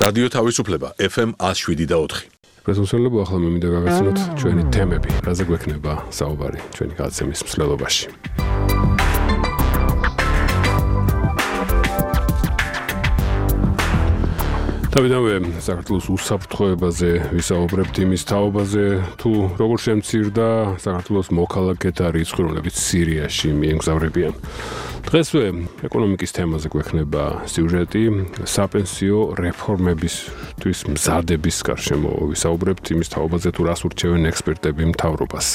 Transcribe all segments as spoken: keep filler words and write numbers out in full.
რადიო თავისუფლება F M one oh seven და four. პრეზენტაციები ახლა მე მინდა გავაცნოთ ჩვენი თემები, რაზე გვექნება საუბარი ჩვენი გადაცემის მსვლელობაში. თავიდანვე საქართველოს უსაფრთხოებაზე ვისაუბრებთ, იმის თაობაზე, თუ როგორ შემცირდა საქართველოს მოქალაქეთა რიცხვი, რომლებიც სირიაში მიემგზავრებიან. დღესვე ეკონომიკის თემაზე გვექნება სიუჟეტი, საპენსიო რეფორმებისთვის მზადების გარშემო ვისაუბრებთ, იმის თაობაზე, თუ რას ურჩევენ ექსპერტები მთავრობას.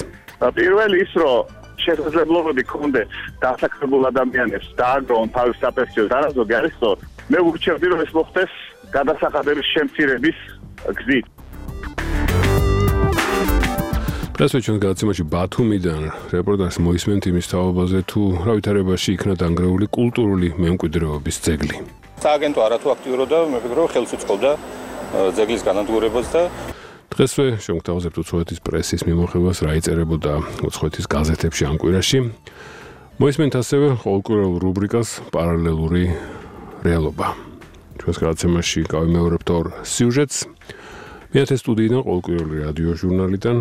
პირველი ის, რომ შესაძლებლობები ქონდე დასაქმებულ ადამიანებს დააგროვონ თავის საპენსიო დარაზოგი არის სწორი. მე ვურჩევდი, რომ ეს მოხდეს გადასახადების შემცირების გზით. დღესვე ჩვენს გადაცემაში ბათუმიდან რეპორტაჟს მოისმენთ იმის თაობაზე, თუ რა ვითარებაში იქნა დანგრეული კულტურული მემკვიდრეობის ძეგლი. სააგენტო არათუ აქტიურობდა, მე ვფიქრობ, ხელს უწყობდა ძეგლის განადგურებას და დღესვე შევგვთავაზებთ უცხოეთის პრესის მიმოხილვას, რა იწერებოდა უცხოეთის გაზეთებში ამ კვირაში. მოისმენთ ასევე ყოველკვირეულ რუბრიკას პარალელური რეალობა. ჩვენს გადაცემაში გავიმეორებთ ორ სიუჟეტს. მეათე სტუდიიდან ყოველკვირეული რადიო ჟურნალიდან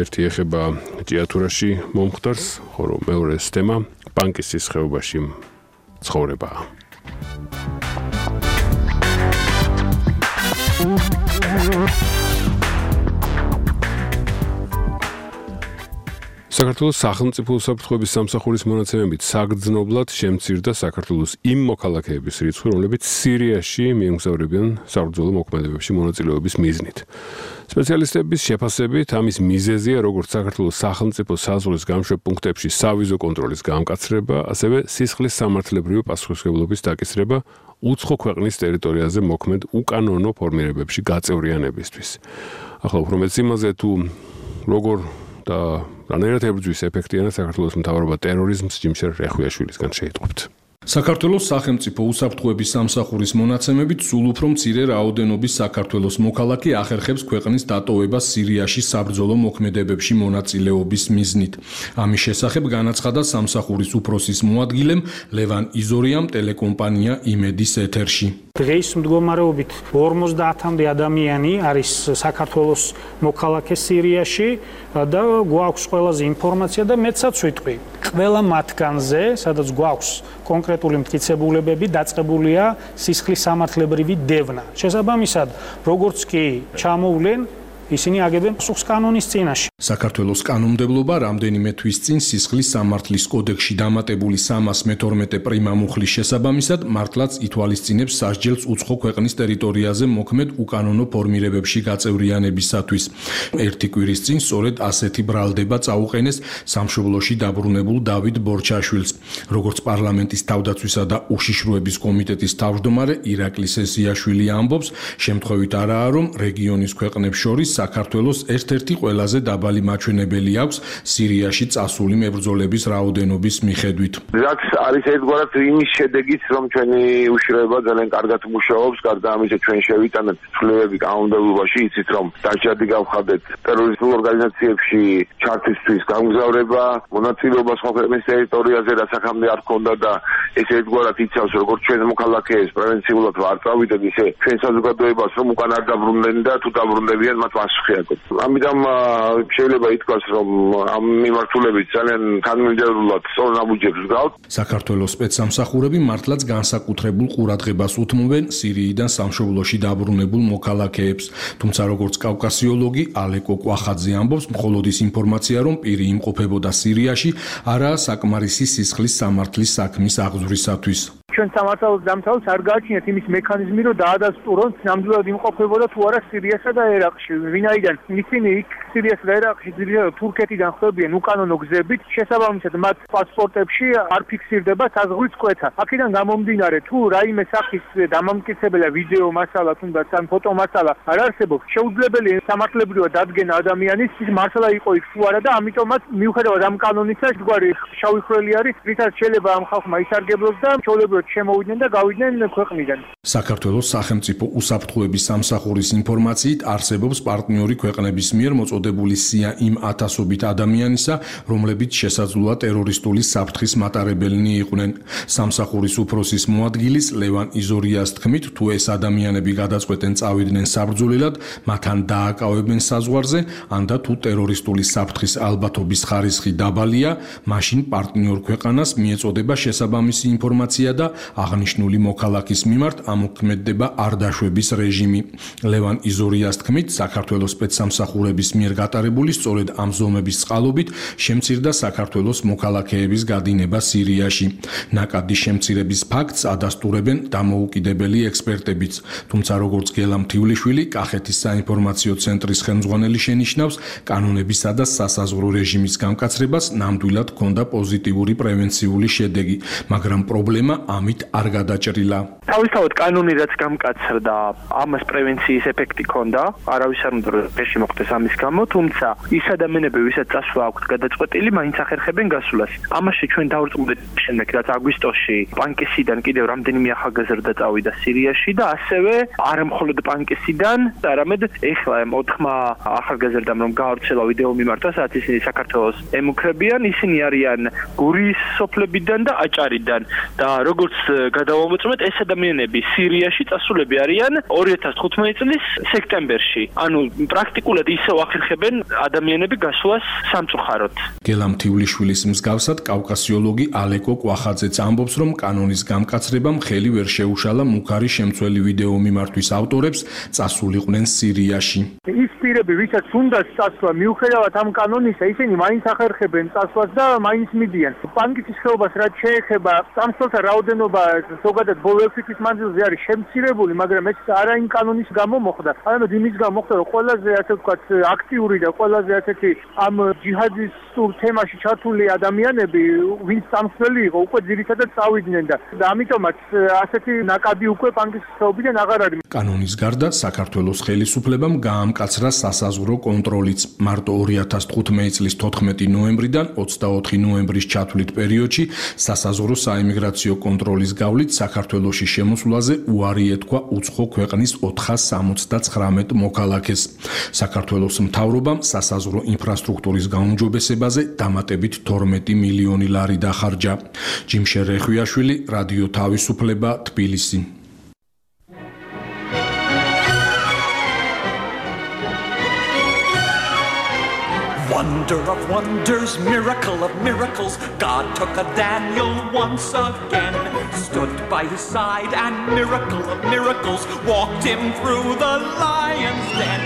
ერთი ეხება ჭიათურაში მომხდარს, ხოლო მეორეს თემა ბანკის ხეობაში ცხოვრებაა. საქართველოს სახელმწიფო უსაფრთხოების სამსახურის მონაცემებით საგრძნობლად შემცირდა საქართველოს იმ მოქალაქეების რიცხვი, რომლებიც სირიაში მიემგზავრებიან საბრძოლო მოქმედებებში მონაწილეობის მიზნით. სპეციალისტების შეფასებით ამის მიზეზია როგორც საქართველოს სახელმწიფო საზღვრის გამშვებ პუნქტებში სავიზო კონტროლის გამკაცრება, ასევე სისხლის სამართლებრივი პასუხისმგებლობის დაკისრება უცხო ქვეყნის ტერიტორიაზე მოქმედ უკანონო ფორმირებებში გაწევრიანებისთვის. ახლა უფრო მეც იმაზე, თუ როგორ და რანაირად ებრძვის ეფექტიანად საქართველოს მთავრობა ტერორიზმს, ჯიმშერ რეხვიაშვილისგან შეიტყვებთ. საქართველოს სახელმწიფო უსაფრთხოების სამსახურის მონაცემებით სულ უფრო მცირე რაოდენობის საქართველოს მოქალაქე ახერხებს ქვეყნის დატოვებას სირიაში საბრძოლო მოქმედებებში მონაწილეობის მიზნით. ამის შესახებ განაცხადა სამსახურის უფროსის მოადგილემ ლევან იზორიამ ტელეკომპანია იმედის ეთერში. დღეს მდგომარეობით ორმოცდაათამდე ადამიანი არის საქართველოს მოქალაქე სირიაში და გვაქვს ყველაზე ინფორმაცია და მეცაც ვიტყვი. ყველა მათგანზე, სადაც გვაქვს კონკრეტული მტკიცებულებები, დაწყებულია სისხლის სამართლებრივი დევნა. შესაბამისად, როგორც კი ჩამოვლენ, ისინი აგებენ პასუხს კანონის წინაშე. საქართველოს კანონმდებლობა რამდენიმე თვის წინ სისხლის სამართლის კოდექსში დამატებული სამას მეთორმეტე პრიმა მუხლის შესაბამისად მართლაც ითვალისწინებს სასჯელს უცხო ქვეყნის ტერიტორიაზე მოქმედ უკანონო ფორმირებებში გაწევრიანებისათვის. ერთი კვირის წინ სწორედ ასეთი ბრალდება წაუყენეს სამშობლოში დაბრუნებულ დავით ბორჩაშვილს. როგორც პარლამენტის თავდაცვისა და უშიშროების კომიტეტის თავმჯდომარე ირაკლი სესიაშვილი ამბობს, შემთხვევით არაა, რომ რეგიონის ქვეყნებს შორის საქართველოს ერთ-ერთი ყველაზე დაბალი მაჩვენებელი აქვს სირიაში წასული მებრძოლების რაოდენობის მიხედვით. რაც არის ერთგვარად იმის შედეგიც, რომ ჩვენი უშიშროება ძალიან კარგად მუშაობს, გარდა ამისა ჩვენ შევიტანეთ ცვლილებები კანონმდებლობაში, იცით რომ დაჭადი გავხადეთ ტერორისტულ ორგანიზაციებში ჩართვისთვის გამგზავრება, მონაწილეობა სხვა ქვეყნის ტერიტორიაზე, რაც აქამდე არ ჰქონდა და ეს ერთგვარად იცავს, როგორც ჩვენ მოქალაქეებს პრევენციულად არ წავიდეთ, ისე ჩვენ საზოგადოებას რომ უკან არ დაბრუნდნენ და თუ დაბრუნდებიან მათ პასუხი აქვს. ამიტომ შეიძლება ითქვას, რომ ამ მიმართულებით ძალიან თანმიმდევრულად სწორ ნაბუჯებს გყავთ. საქართველოს სპეცსამსახურები მართლაც განსაკუთრებულ ყურადღებას უთმობენ სირიიდან სამშობლოში დაბრუნებულ მოქალაქეებს. თუმცა როგორც კავკასიოლოგი ალეკო კვახაძე ამბობს, მხოლოდ ის ინფორმაცია, რომ პირი იმყოფებოდა სირიაში, არაა საკმარისი სისხლის სამართლის საქმის აღძვრისათვის. ჩვენ სამართალოს დამთავრებას არ გააჩნიათ იმის მექანიზმი, რომ დაადასტურონ ნამდვილად იმყოფებოდა თუ არა სირიასა და ერაყში. ვინაიდან ისინი იქ სირიასა და ერაყში ძირითადად თურქეთიდან ხვდებიან უკანონო გზებით, შესაბამისად მათ პასპორტებში არ ფიქსირდება საზღვრის კვეთა. აქედან გამომდინარე, თუ რაიმე სახის დამამტკიცებელი ვიდეო მასალა თუნდაც ან ფოტო მასალა არ არსებობს, შეუძლებელია სამართლებრივად დადგენა ადამიანის ის მასალა იყო იქ თუ არა და ამიტომაც მიუხედავად ამ კანონისა, გვარი შავი ხვრელი არის, რითაც შეიძლება ამ ხალხმა ისარგებლოს და ჩვეულებრივად შემოვიდნენ და გავიდნენ ქვეყნიდან. საქართველოს სახელმწიფო უსაფრთხოების სამსახურის ინფორმაციით არსებობს პარტნიორი ქვეყნების მიერ მოწოდებული სია იმ ათასობით ადამიანისა, რომლებიც შესაძლოა ტერორისტული საფრთხის მატარებელნი იყვნენ. სამსახურის უფროსის მოადგილის ლევან იზორიას თქმით, თუ ეს ადამიანები გადაწყვეტენ წავიდნენ საბრძოლველად, მათთან დააკავებენ საზღვარზე, ან და თუ ტერორისტული საფრთხის ალბათობის ხარისხი დაბალია, მაშინ პარტნიორ ქვეყანას მიეწოდება შესაბამისი ინფორმაცია და აღნიშნული მოქალაქის მიმართ ამოქმედდება არდაშვების რეჟიმი. ლევან იზორიას თქმით, საქართველოს სპეცსამსახურების მიერ გატარებული სწორედ ამ ზომების წყალობით შემცირდა საქართველოს მოქალაქეების გადინება სირიაში. ნაკადი შემცირების ფაქტს ადასტურებენ დამოუკიდებელი ექსპერტებიც, თუმცა როგორც გელამ თივლიშვილი, კახეთის საინფორმაციო ცენტრის ხელმძღვანელი შენიშნავს, კანონებისა და სასაზღვრო რეჟიმის გამკაცრებას ნამდვილად ჰქონდა პოზიტიური პრევენციული შედეგი, მაგრამ პრობლემა ამით არ გადაჭრილა. თავისთავად კანონი რაც გამკაცრდა, ამას პრევენციის ეფექტი ჰქონდა, არავის არ უნდა რეჟი მოხდეს ამის გამო, თუმცა ის ადამიანები, ვისაც წასვლა აქვთ გადაწყვეტილი, მაინც ახერხებენ გასვლას. ამაში ჩვენ დავრწმუნდით შემდეგ, რაც აგვისტოში პანკისიდან კიდევ რამდენიმე ახალგაზრდა წავიდა სირიაში და ასევე არა მხოლოდ პანკისიდან, არამედ ეხლა ოთხმა ახალგაზრდამ რომ გაავრცელა ვიდეო მიმართა, სადაც ისინი საქართველოს ემუქრებიან, ისინი არიან გურიის სოფლებიდან და აჭარიდან და როგორც გადავამოწმეთ, ეს ადამიანები სირიაში წასულები არიან ორი ათას თხუთმეტი წლის სექტემბერში. ანუ პრაქტიკულად ისევ ახერხებენ ადამიანები გასვლას სამწუხაროდ. გელამ თივლიშვილის მსგავსად კავკასიოლოგი ალეკო კვახაძეც ამბობს, რომ კანონის გამკაცრებამ ხელი ვერ შეუშალა მუქარი შემცველი ვიდეო მიმართვის ავტორებს წასულიყვნენ სირიაში. ის პირები, ვისაც უნდა წასვლა, მიუხედავად ამ კანონისა, ისინი მაინც ახერხებენ წასვლას და მაინც მიდიან. პანკისის ხეობას რაც შეეხება, წამსვლელთა რაოდენობა ზოგადად ბოლო ექვსი თვის მანძილზე არის შემცირებული, მაგრამ ეს არა იმ კანონის გამო მოხდა. არამედ იმის გამო მოხდა, რომ ყველაზე ასე ვთქვათ აქტიური და ყველაზე ასეთი ამ ჯიჰადისტურ თემაში ჩართული ადამიანები, ვინც წამსვლელი იყო, უკვე ძირითადად წავიდნენ და ამიტომაც ასეთი ნაკადი უკვე პანკისის ხეობიდან აღარ არის. კანონის გარდა საქართველოს ხელისუფლებამ გაამკაცრა სასაზღვრო კონტროლიც. მარტო ორი ათას თხუთმეტი წლის თოთხმეტი ნოემბრიდან ოცდაოთხი ნოემბრის ჩათვლით პერიოდში სასაზღვრო საიმიგრაციო კონტროლის გავლით საქართველოში შემოსვლაზე უარი ეთქვა უცხო ქვეყნის ოთხას სამოცდაცხრამეტ მოქალაქეს. საქართველოს მთავრობამ სასაზღვრო ინფრასტრუქტურის გაუმჯობესებაზე დამატებით თორმეტი მილიონი ლარი დახარჯა. ჯიმშე რეხვიაშვილი, რადიო თავისუფლება, თბილისი. Wonder of wonders, miracle of miracles, God took a Daniel once again, stood by his side and miracle of miracles, walked him through the lion's den.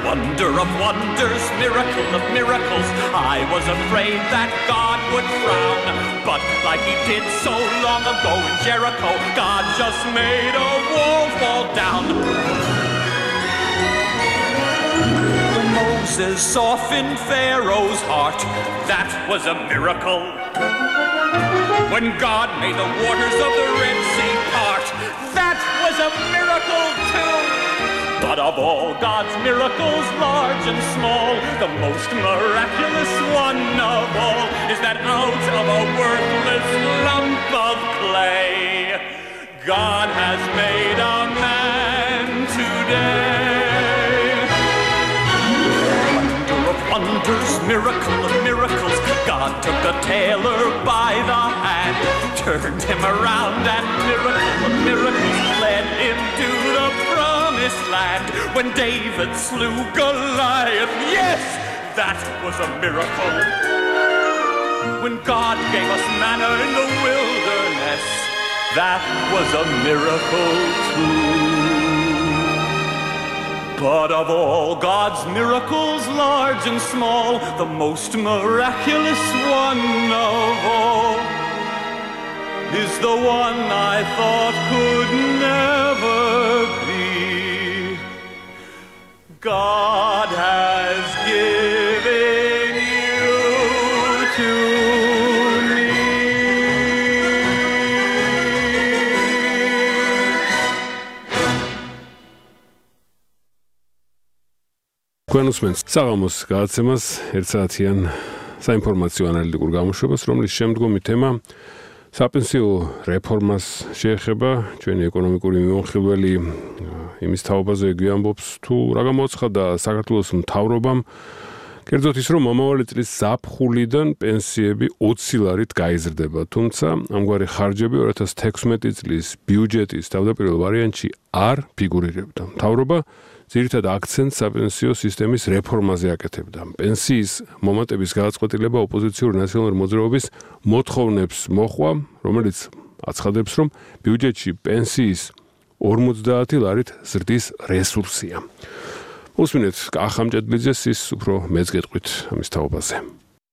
Wonder of wonders, miracle of miracles, I was afraid that God would frown, but like he did so long ago in Jericho, God just made a wall fall down. Moses softened Pharaoh's heart, that was a miracle. When God made the waters of the Red Sea part, that was a miracle too. But of all God's miracles, large and small, the most miraculous one of all is that out of a worthless lump of clay, God has made a man today. Wonders, miracle of miracles, God took a tailor by the hand, turned him around and miracle of miracles led him to the promised land. When David slew Goliath, yes, that was a miracle. When God gave us manna in the wilderness, that was a miracle too. But of all God's miracles, large and small, the most miraculous one of all is the one I thought could never be. God has given you to me. Გვენუსმენს საღამოს გადაცემას ერთ საათიან საინფორმაციო ანალიტიკურ გამოშვებას, რომლის შემდგომი თემა საპენსიო რეფორმას შეეხება ჩვენი ეკონომიკური მიმოხილველი იმის თაობაზე გვიამბობს თუ რა გამოაცხადა საქართველოს მთავრობამ კერძოდ ის რომ მომავალი წლის ზაფხულიდან პენსიები ოცი ლარით გაიზრდება, თუმცა ამგვარი ხარჯები ორი ათას თექვსმეტი წლის ბიუჯეტის თავდაპირველ ვარიანტში არ ფიგურირებდა. მთავრობა ძირითად აქცენტს საპენსიო სისტემის რეფორმაზე აკეთებდა. პენსიის მომატების გადაწყვეტილება ოპოზიციური ნაციონალური მოძრაობის მოთხოვნებს მოჰყვა, რომელიც აცხადებს, რომ ბიუჯეტში პენსიის ორმოცდაათი ლარით ზრდის რესურსია. უსმინეთ კახამ ჭედლიძეს ის უფრო მეც გეტყვით ამის თაობაზე.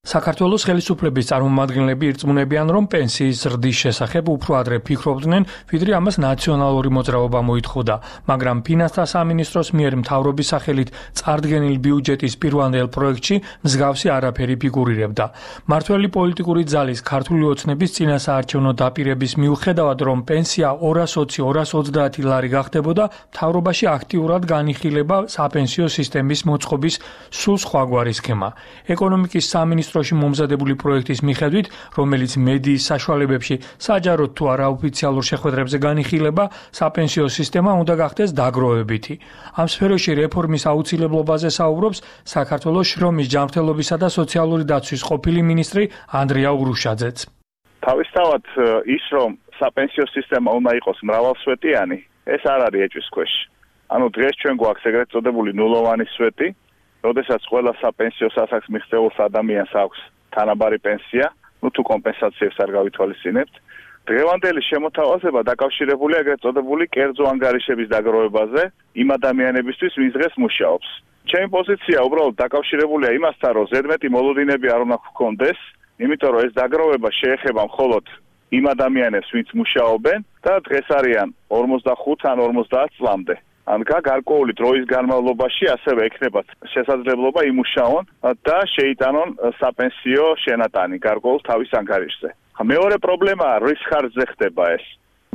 საქართველოს ხელისუფლების წარმომადგენლები ირწმუნებიან, რომ პენსიის ზრდის შესახებ უფრო ადრე ფიქრობდნენ, ვიდრე ამას ნაციონალური მოძრაობა მოითხოვდა, მაგრამ ფინანსთა სამინისტროს მიერ მთავრობის სახელით წარდგენილ ბიუჯეტის პირვანდელ პროექტში მსგავსი არაფერი ფიგურირებდა. მართველი პოლიტიკური ძალის ქართული ოცნების წინასაარჩევნო დაპირების მიუხედავად, რომ პენსია ორას ოცი ორას ოცდაათი ლარი გახდებოდა, მთავრობაში აქტიურად განიხილება საპენსიო სისტემის მოწყობის სულ სხვაგვარი სქემა. ეკონომიკის სამინისტრო ministroși მომზადებული პროექტის მიხედვით, რომელიც მედიის საშუალებებში საჯაროდ თუ არაოფიციალურ შეხვედრებზე განიხილება, საპენსიო სისტემა უნდა გახდეს დაგროვებითი. ამ სფეროში რეფორმის აუცილებლობაზე საუბრობს საქართველოს შრომის ჯანმრთელობისა და სოციალური დაცვის ყოფილი მინისტრი ანდრია ურუშაძეც. თავისთავად ის, რომ საპენსიო სისტემა უნდა იყოს მრავალსვეტიანი, ეს არ არის ეჭვის ქვეშ. ანუ დღეს ჩვენ გვაქვს ეგრეთ წოდებული ნულოვანი სვეტი, როდესაც ყველა საპენსიო სასახს მიღწეულს ადამიანს აქვს თანაბარი პენსია, ну თუ კომპენსაციებს არ გავითვალისწინებთ. დღევანდელი შემოთავაზება დაკავშირებულია ეგრეთ წოდებული კერძო ანგარიშების დაგროვებაზე იმ ადამიანებისთვის, ვინც დღეს მუშაობს. ჩემი პოზიცია უბრალოდ დაკავშირებულია იმასთან, რომ ზედმეტი მოლოდინები არ უნდა გქონდეს, იმიტომ რომ ეს დაგროვება შეეხება მხოლოდ იმ ადამიანებს, ვინც მუშაობენ და დღეს არიან ორმოცდახუთ ან ორმოცდაათ წლამდე. ან გარკვეული დროის განმავლობაში ასევე ექნებათ შესაძლებლობა იმუშაონ და შეიტანონ საპენსიო შენატანი გარკვეულ თავის ანგარიშზე. მეორე პრობლემაა, რის ხარჯზე ხდება ეს.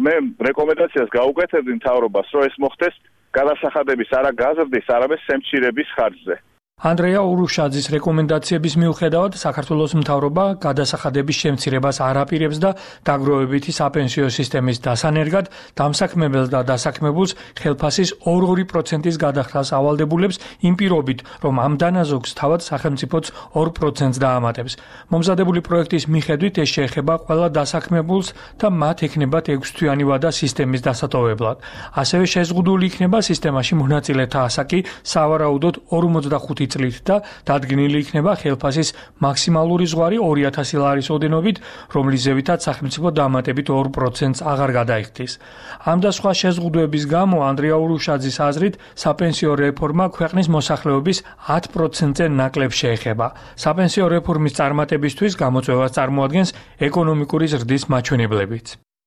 მე რეკომენდაციას გაუკეთებდი მთავრობას, რომ ეს მოხდეს გადასახადების არა გაზრდის, არამედ სემცირების ხარჯზე. ანდრეა ურუშაძის რეკომენდაციების მიუხედავად საქართველოს მთავრობა გადასახადების შემცირებას არ აპირებს და დაგროვებითი საპენსიო სისტემის დასანერგად დამსაქმებელს და დასაქმებულს ხელფასის ორი პროცენტის გადახდას ავალდებულებს იმ პირობით, რომ ამ დანაზოგს თავად სახელმწიფოც ორ პროცენტს დაამატებს. მომზადებული პროექტის მიხედვით ეს შეეხება ყველა დასაქმებულს და მათ ექნებათ ექვსთვიანი ვადა სისტემის დასატოვებლად. ასევე შეზღუდული იქნება სისტემაში მონაწილეთა ასაკი სავარაუდოდ ორმოცდახუთი წლით და დადგენილი იქნება ხელფასის მაქსიმალური ზღვარი ორი ათასი ლარის ოდენობით, რომლის ზევითაც სახელმწიფო დამატებით ორ პროცენტს აღარ გადაიხდის. ამ და სხვა შეზღუდვების გამო ანდრია ურუშაძის აზრით საპენსიო რეფორმა ქვეყნის მოსახლეობის ათ პროცენტზე ნაკლებ შეეხება. საპენსიო რეფორმის წარმატებისთვის გამოწვევას წარმოადგენს ეკონომიკური ზრდის მაჩვენებლებიც.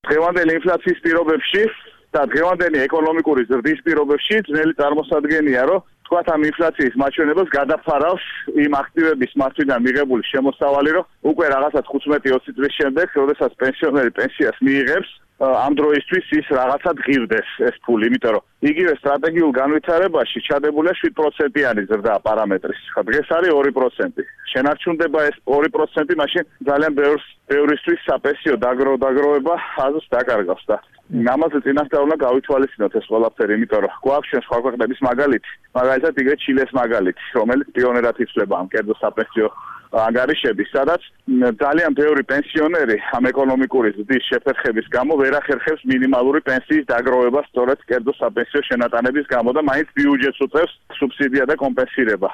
დღევანდელი ინფლაციის პირობებში და დღევანდელი ეკონომიკური ზრდის პირობებში ძნელი წარმოსადგენია, რომ თქვათ ამ ინფლაციის მაჩვენებელს გადაფარავს იმ აქტივების მართვიდან მიღებული შემოსავალი, რომ უკვე რაღაცა თხუთმეტი ოცი წლის შემდეგ, როდესაც პენსიონერი პენსიას მიიღებს, ამ დროისთვის ის რაღაცა ღირდეს ეს ფული, იმიტომ რომ იგივე სტრატეგიულ განვითარებაში ჩადებულია შვიდ პროცენტიანი ზრდა პარამეტრის. დღეს არის ორი პროცენტი. შენარჩუნდება ეს ორი პროცენტი, მაშინ ძალიან ბევრს ბევრისთვის საპენსიო დაგროვება აზრს დაკარგავს და ამაზე წინასწარ უნდა გავითვალისწინოთ ეს ყველაფერი, იმიტომ რომ გვაქვს ჩვენ სხვა ქვეყნების მაგალითი, მაგალითად იგივე ჩილეს მაგალითი, რომელიც პიონერად ითვლება ამ კერძო საპენსიო ანგარიშების, სადაც ძალიან ბევრი პენსიონერი ამ ეკონომიკური ზრდის შეფერხების გამო ვერ ახერხებს მინიმალური პენსიის დაგროვებას სწორედ კერძო საპენსიო შენატანების გამო და მაინც ბიუჯეტს უწევს სუბსიდია და კომპენსირება.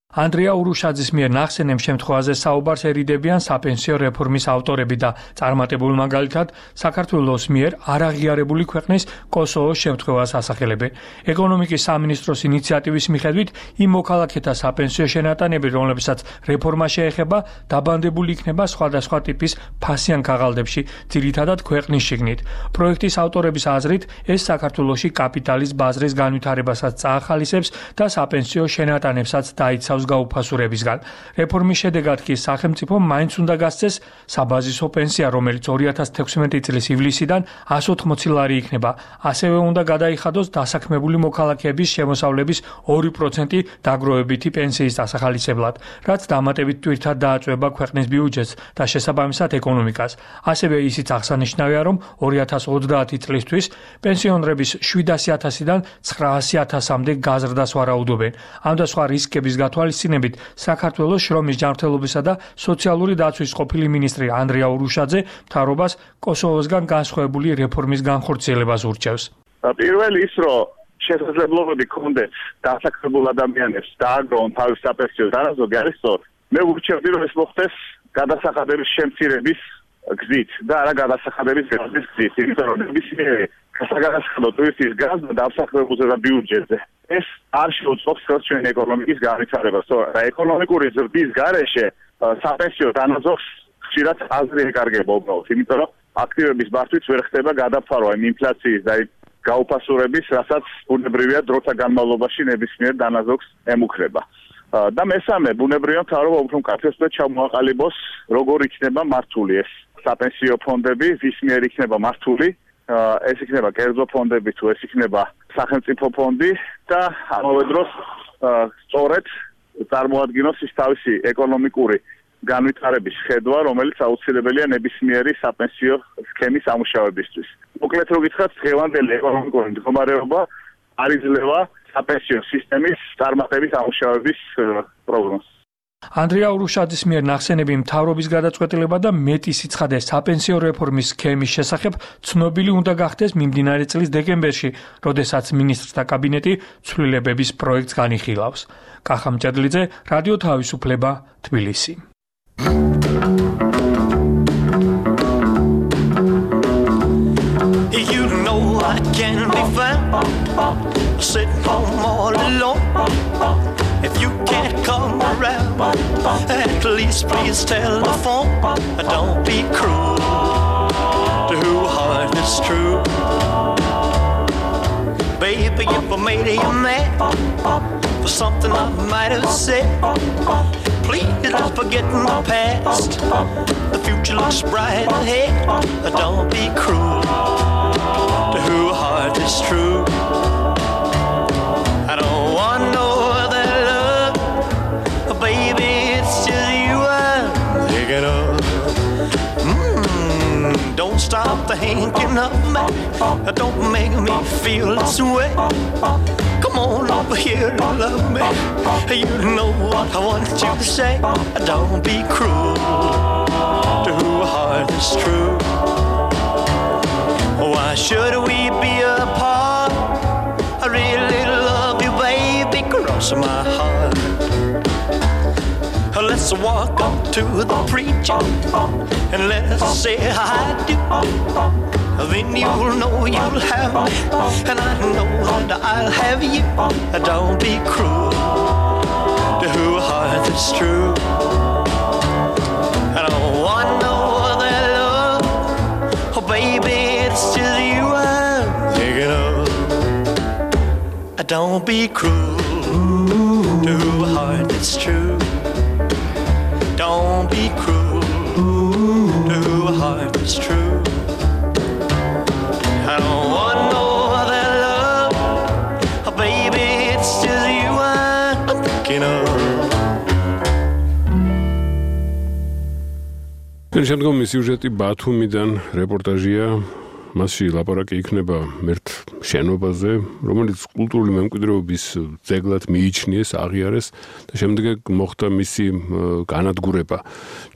ანდრეა ურუშაძის მიერ ნახსენებ შემთხვევაზე საუბარს ერიდებიან საპენსიო რეფორმის ავტორები და წარმატებულ მაგალითად საქართველოს მიერ არაღიარებული ქვეყნის კოსოვოს შემთხვევას ასახელებენ. ეკონომიკის სამინისტროს ინიციატივის მიხედვით იმ მოქალაქეთა საპენსიო შენატანები, რომლებსაც რეფორმა შეეხება, დაბანდებული იქნება სხვადასხვა ტიპის ფასიან ქაღალდებში, ძირითადად ქვეყნის შიგნით. პროექტის ავტორების აზრით, ეს საქართველოში კაპიტალის ბაზრის განვითარებასაც წაახალისებს და საპენსიო შენატანებსაც დაიცავს თავს გაუფასურებისგან. რეფორმის შედეგად კი სახელმწიფომ მაინც უნდა გასცეს საბაზისო პენსია, რომელიც ორი ათას თექვსმეტი წლის ივლისიდან εκατს ოთხმოცი ლარი იქნება. ასევე უნდა გადაიხადოს დასაქმებული მოქალაქეების შემოსავლების ორი პროცენტი დაგროვებითი პენსიის დასახალისებლად, რაც დამატებით ტვირთად დააწვევა ქვეყნის ბიუჯეტს და შესაბამისად ეკონომიკას. ასევე ისიც აღსანიშნავია, რომ ორი ათას ოცდაათი წლისთვის პენსიონერების შვიდასი ათასიდან ცხრაასი ათასამდე გაზრდას ვარაუდობენ. ამ და სხვა რისკების გათვალისწინებით საქართველოს შრომის ჯანმრთელობისა და სოციალური დაცვის ყოფილი მინისტრი ანდრია ურუშაძე მთავრობას კოსოვოსგან განსხვავებული რეფორმის განხორციელებას ურჩევს. პირველი ის, რომ შესაძლებლობები ქონდეს დასაქმებულ ადამიანებს დააგროვონ თავის საპენსიო დანაზოგი არის სწორი. მე ვურჩევდი, რომ ეს მოხდეს გადასახადების შემცირების გზით და არა გადასახადების გაზის გზით. იმიტომ რომ ნებისმიერი გადასახადო ტვირთის გაზა დასახლებულზე და ბიუჯეტზე ეს არ შეუწყობს ხელს ჩვენი ეკონომიკის განვითარებას. და ეკონომიკური ზრდის გარეშე საპენსიო დანაზოგს ხშირად აზრი ეკარგება უბრალოდ, იმიტომ რომ აქტივების მართვით ვერ ხდება გადაფარვა იმ ინფლაციის და გაუფასურების, რასაც ბუნებრივია დროთა განმავლობაში ნებისმიერ დანაზოგს ემუქრება. და მესამე, ბუნებრივია მთავრობა უფრო მკაცრ და ჩამოაყალიბოს, როგორ იქნება მართული ეს საპენსიო ფონდები, ვის მიერ იქნება მართული, ეს იქნება კერძო ფონდები თუ ეს იქნება სახელმწიფო ფონდი და ამავე დროს სწორედ წარმოადგინოს ის თავისი ეკონომიკური განვითარების ხედვა, რომელიც აუცილებელია ნებისმიერი საპენსიო სქემის ამუშავებისთვის. მოკლედ რო გითხრათ, დღევანდელი ეკონომიკური მდგომარეობა არ იძლევა საპენსიო სისტემის წარმატებით ამუშავების პროგნოზს. ანდრია ურუშაძის მიერ ნახსენები მთავრობის გადაწყვეტილება და მეტი სიცხადე საპენსიო რეფორმის სქემის შესახებ ცნობილი უნდა გახდეს მიმდინარე წლის დეკემბერში, როდესაც მინისტრთა კაბინეტი ცვლილებების პროექტს განიხილავს. კახა მჭედლიძე, რადიო თავისუფლება, თბილისი. You know I can be found sitting home all alone. If you can't come around, at least please telephone. Don't be cruel to who heart is true. Baby, if I made you mad for something I might have said, please don't forget my past. The future looks bright ahead. Don't be cruel to who heart is true. I don't want no other love, baby, it's just you I'm thinking of. Mm, don't stop thinking of me. Don't make me feel this way. Come on over here and love me. You know what I want you to say. Don't be cruel to who heart is true. Why should we be apart? I really love you, baby, cross my heart. Let's walk up to the preacher and let's say I do. Then you'll know you'll have me, and I know that I'll have you. Don't be cruel to who heart is true. I don't want no other love, oh baby, it's just you I'm thinking of. Don't be cruel to who heart is true. Don't be cruel to who heart is true. I don't want no other love, oh baby, it's just you I'm thinking of. შემდგომი სიუჟეტი ბათუმიდან რეპორტაჟია. მასში ლაპარაკი იქნება ერთ შენობაზე, რომელიც კულტურული მემკვიდრეობის ძეგლად მიიჩნიეს, აღიარეს და შემდეგ მოხდა მისი განადგურება.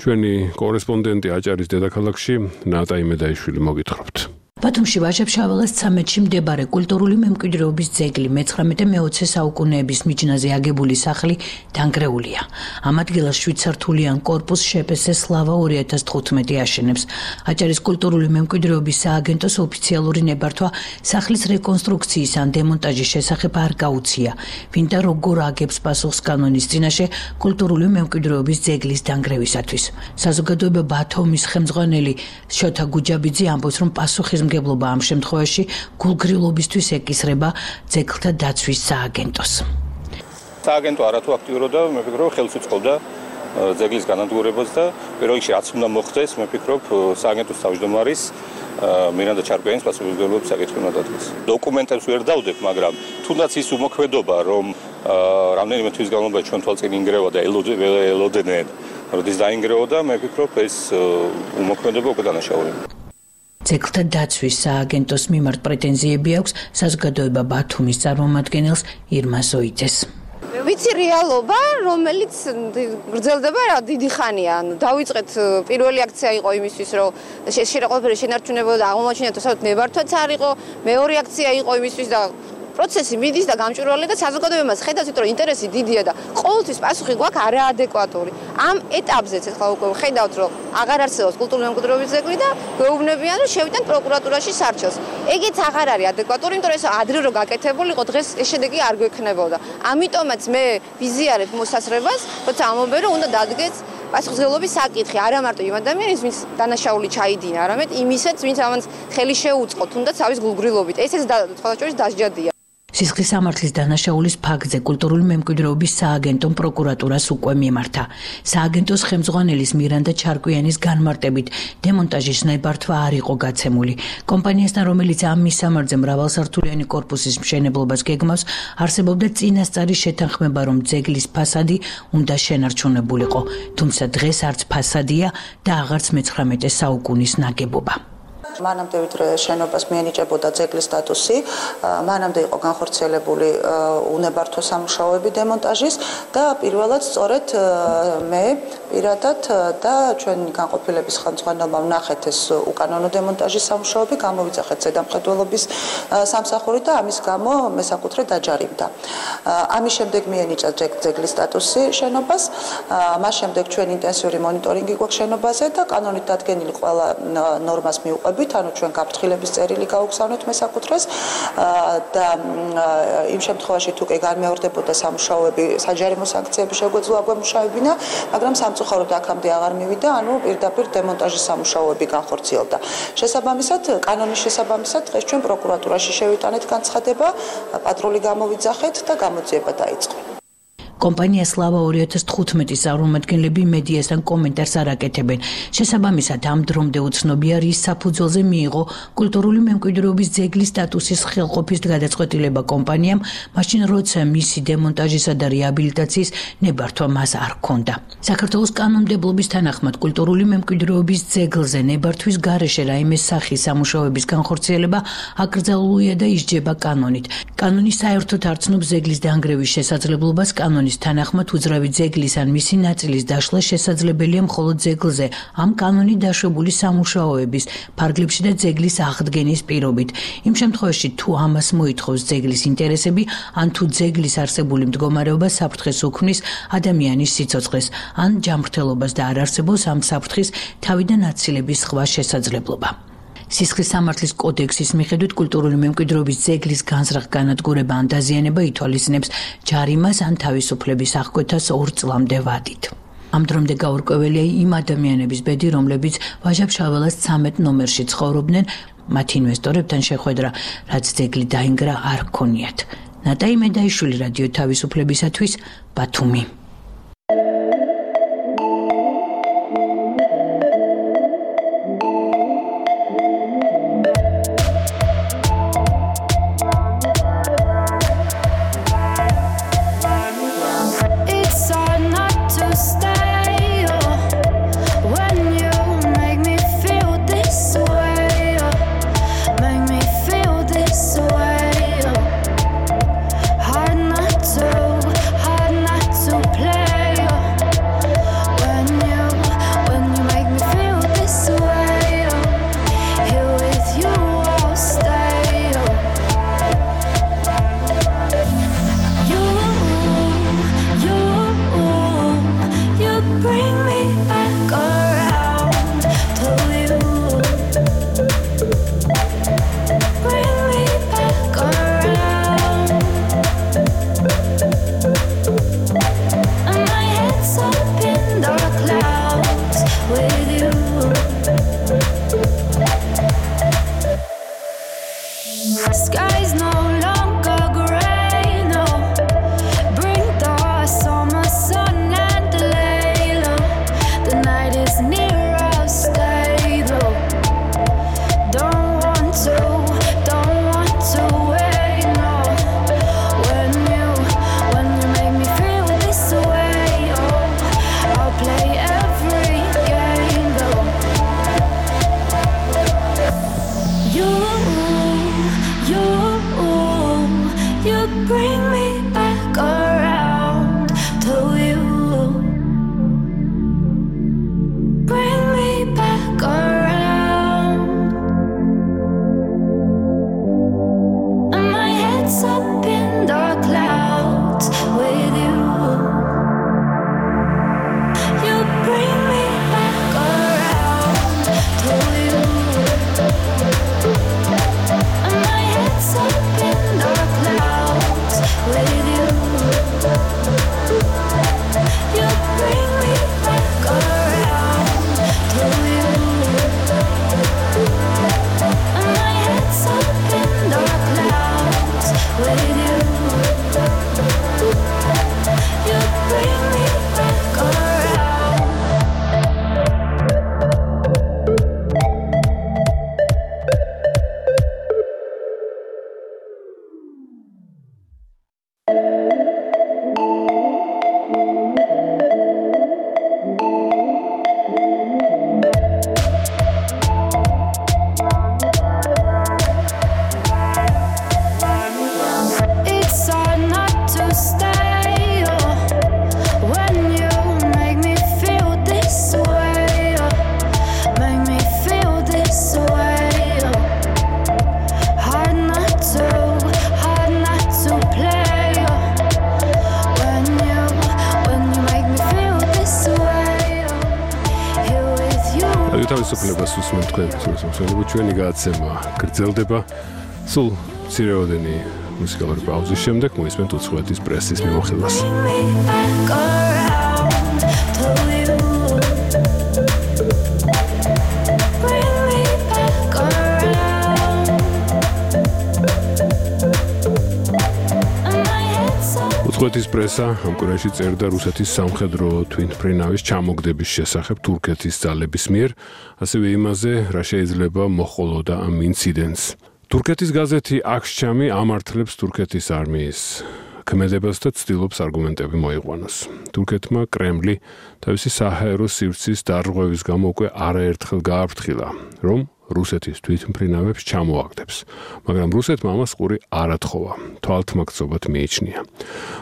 ჩვენი კორესპონდენტი აჭარის დედაქალაქში ნატა იმედაიშვილი მოგითხრობთ. ბათუმში ვაჟა-ფშაველას ცამეტში მდებარე კულტურული მემკვიდრეობის ძეგლი მეცხრამეტე მეოცე საუკუნეების მიჯნაზე აგებული სახლი დანგრეულია. ამ ადგილას შვიდსართულიან კორპუსს შეპესე სლავა ორი ათას თხუთმეტი აშენებს. აჭარის კულტურული მემკვიდრეობის სააგენტოს ოფიციალური ნებართვა სახლის რეკონსტრუქციის ან დემონტაჟის შესახებ არ გაუცია. ვინდა როგორ აგებს პასუხს კანონის წინაშე კულტურული მემკვიდრეობის ძეგლის დანგრევისათვის. საზოგადოება ბათუმის ხელმძღვანელი შოთა გუჯაბიძე ამბობს, რომ პასუხის მგებლობა ამ შემთხვევაში გულგრილობისთვის ეკისრება ძეგლთა დაცვის სააგენტოს. სააგენტო არათუ აქტიურობდა, მე ვფიქრობ, ხელს უწყობდა ძეგლის განადგურებას და პირველ რიგში რაც უნდა მოხდეს, მე ვფიქრობ, სააგენტოს თავმჯდომარის მირანდა ჩარკვიანის პასუხისმგებლობის საკითხი უნდა დადგეს. დოკუმენტებს ვერ დავდებ, მაგრამ თუნდაც ის უმოქმედობა, რომ რამდენიმე თვის განმავლობაში ჩვენ თვალწინ ინგრევა და ელოდნენ, როდის დაინგრეოდა, მე ვფიქრობ, ეს უმოქმედობა უკვე დანაშაულია. ძეგლთა დაცვის სააგენტოს მიმართ პრეტენზიები აქვს საზოგადოება ბათუმის წარმომადგენელს ირმა ზოიძეს. ვიცი რეალობა, რომელიც გრძელდება რა დიდი ხანია. ანუ დავიწყეთ პირველი აქცია იყო იმისთვის, რომ შეყოლფერი შენარჩუნებოდა და აღმოჩნდა, რომ ნებართვაც არ იყო. მეორე აქცია იყო იმისთვის და პროცესი მიდის და გამჭვირვალე და საზოგადოებამ ხედავს, რომ ინტერესი დიდია და ყოველთვის პასუხი გვაქვს არაადეკვატური. ამ ეტაპზეც ახლა უკვე ხედავთ, რომ აღარ არსებობს კულტურული მემკვიდრეობის ძეგლი და გვეუბნებიან, რომ შევიდან პროკურატურაში სარჩელს. ეგეც აღარ არის ადეკვატური, იმიტომ რომ ეს ადრე რო გაკეთებულიყო, დღეს ეს შედეგი არ გვექნებოდა. ამიტომაც მე ვიზიარებ მოსასრებას, როცა ამობენ, რომ უნდა დადგეს პასუხისმგებლობის საკითხი, არა მარტო იმ ადამიანის, ვინც დანაშაული ჩაიდინა, არამედ იმისაც, ვინც ამას ხელი შეუწყო, თუნდაც თავის გულგრილობით. ესეც სხვადასხვა დასჯადია. სისხლის სამართლის დანაშაულის ფაქტზე კულტურული მემკვიდრეობის სააგენტომ პროკურატურას უკვე მიმართა. სააგენტოს ხელმძღვანელის მირანდა ჩარკვიანის განმარტებით დემონტაჟის ნებართვა არ იყო გაცემული. კომპანიასთან, რომელიც ამ მისამართზე მრავალსართულიანი კორპუსის მშენებლობას გეგმავს, არსებობდა წინასწარი შეთანხმება, რომ ძეგლის ფასადი უნდა შენარჩუნებულიყო, თუმცა დღეს არც ფასადია და აღარც მეცხრამეტე საუკუნის ნაგებობა. მანამდე ვიდრე შენობას მიენიჭებოდა ძეგლის სტატუსი, მანამდე იყო განხორციელებული უნებართვო სამუშაოები დემონტაჟის და პირველად სწორედ მე პირადად და ჩვენი განყოფილების ხელმძღვანელმა ვნახეთ ეს უკანონო დემონტაჟის სამუშაოები, გამოვიძახეთ ზედამხედველობის სამსახური და ამის გამო მესაკუთრე დაჯარიმდა. ამის შემდეგ მიენიჭა ძეგლის სტატუსი შენობას, მას შემდეგ ჩვენ ინტენსიური მონიტორინგი გვაქვს შენობაზე და კანონით დადგენილი ყველა ნორმას მიუყვებით. ანუ ჩვენ გაფრთხილების წერილი გაუგზავნეთ მესაკუთრეს და იმ შემთხვევაში თუ კი განმეორდებოდა სამუშაოები, საჯარიმო სანქციები შეგვეძლო აგვემუშავებინა, მაგრამ სამწუხაროდ აქამდე აღარ მივიდა, ანუ პირდაპირ დემონტაჟის სამუშაოები განხორციელდა. შესაბამისად, კანონის შესაბამისად, დღეს ჩვენ პროკურატურაში შევიტანეთ განცხადება, პატრული გამოვიძახეთ და გამოძიება დაიწყო. კომპანია სლავა ორი ათას თხუთმეტის წარმომადგენლები მედიასთან კომენტარს არ აკეთებენ. შესაბამისად, ამ დრომდე უცნობია, რის საფუძველზე მიიღო კულტურული მემკვიდრეობის ძეგლის სტატუსის ხელყოფის გადაწყვეტილება კომპანიამ, მაშინ როცა მისი დემონტაჟისა და რეაბილიტაციის ნებართვა მას არ ჰქონდა. საქართველოს კანონმდებლობის თანახმად კულტურული მემკვიდრეობის ძეგლზე ნებართვის გარეშე რაიმე სახის სამუშაოების განხორციელება აკრძალულია და ისჯება კანონით. კანონი საერთოდ არ ცნობს ძეგლის დაანგრევის შესაძლებლობას, კანონის თანახმად უძრავი ძეგლის ან მისი ნაწილის დაშლა შესაძლებელია მხოლოდ ძეგლზე ამ კანონით დაშვებული სამუშაოების ფარგლებში და ძეგლის აღდგენის პირობით. იმ შემთხვევაში თუ ამას მოითხოვს ძეგლის ინტერესები, ან თუ ძეგლის არსებული მდგომარეობა საფრთხეს უქმნის ადამიანის სიცოცხლეს, ან ჯანმრთელობას და არ არსებობს ამ საფრთხის თავიდან აცილების სხვა შესაძლებლობა. სისხლის სამართლის კოდექსის მიხედვით კულტურული მემკვიდრეობის ძეგლის განზრახ განადგურება ან დაზიანება ითვალისწინებს ჯარიმას ან თავისუფლების აღკვეთას ორ წლამდე ვადით. ამ დრომდე გაურკვეველია იმ ადამიანების ბედი, რომლებიც ვაჟა-ფშაველას ცამეტ ნომერში ცხოვრობდნენ, მათ ინვესტორებთან შეხვედრა, რაც ძეგლი დაინგრა, არ ჰქონიათ. ნატაი მედაიშვილი, რადიო თავისუფლებისათვის, ბათუმი. Skies no longer gray, no. Bring the თავისუფლებას უსმენთ თქვენ მსმენელო ჩვენი გადაცემა გრძელდება სულ მცირეოდენი მუსიკალური პაუზის შემდეგ მოისმენთ უცხოეთის პრესის მიმოხილვას. უცხოეთის პრესა ამ კვირაში წერდა რუსეთის სამხედრო თვითმფრინავის ჩამოგდების შესახებ თურქეთის ძალების მიერ, ასევე იმაზე, რა შეიძლება მოჰყოლოდა ამ ინციდენტს. თურქეთის გაზეთი აქშჩამი ამართლებს თურქეთის არმიის ქმედებას და ცდილობს არგუმენტები მოიყვანოს. თურქეთმა კრემლი თავისი საჰაერო სივრცის დარღვევის გამო უკვე არაერთხელ გააფრთხილა, რომ რუსეთის თვითმფრინავებს ჩამოაგდებს, მაგრამ რუსეთმა ამას ყური არ ათხოვა, თვალთმაქცობად მიიჩნია.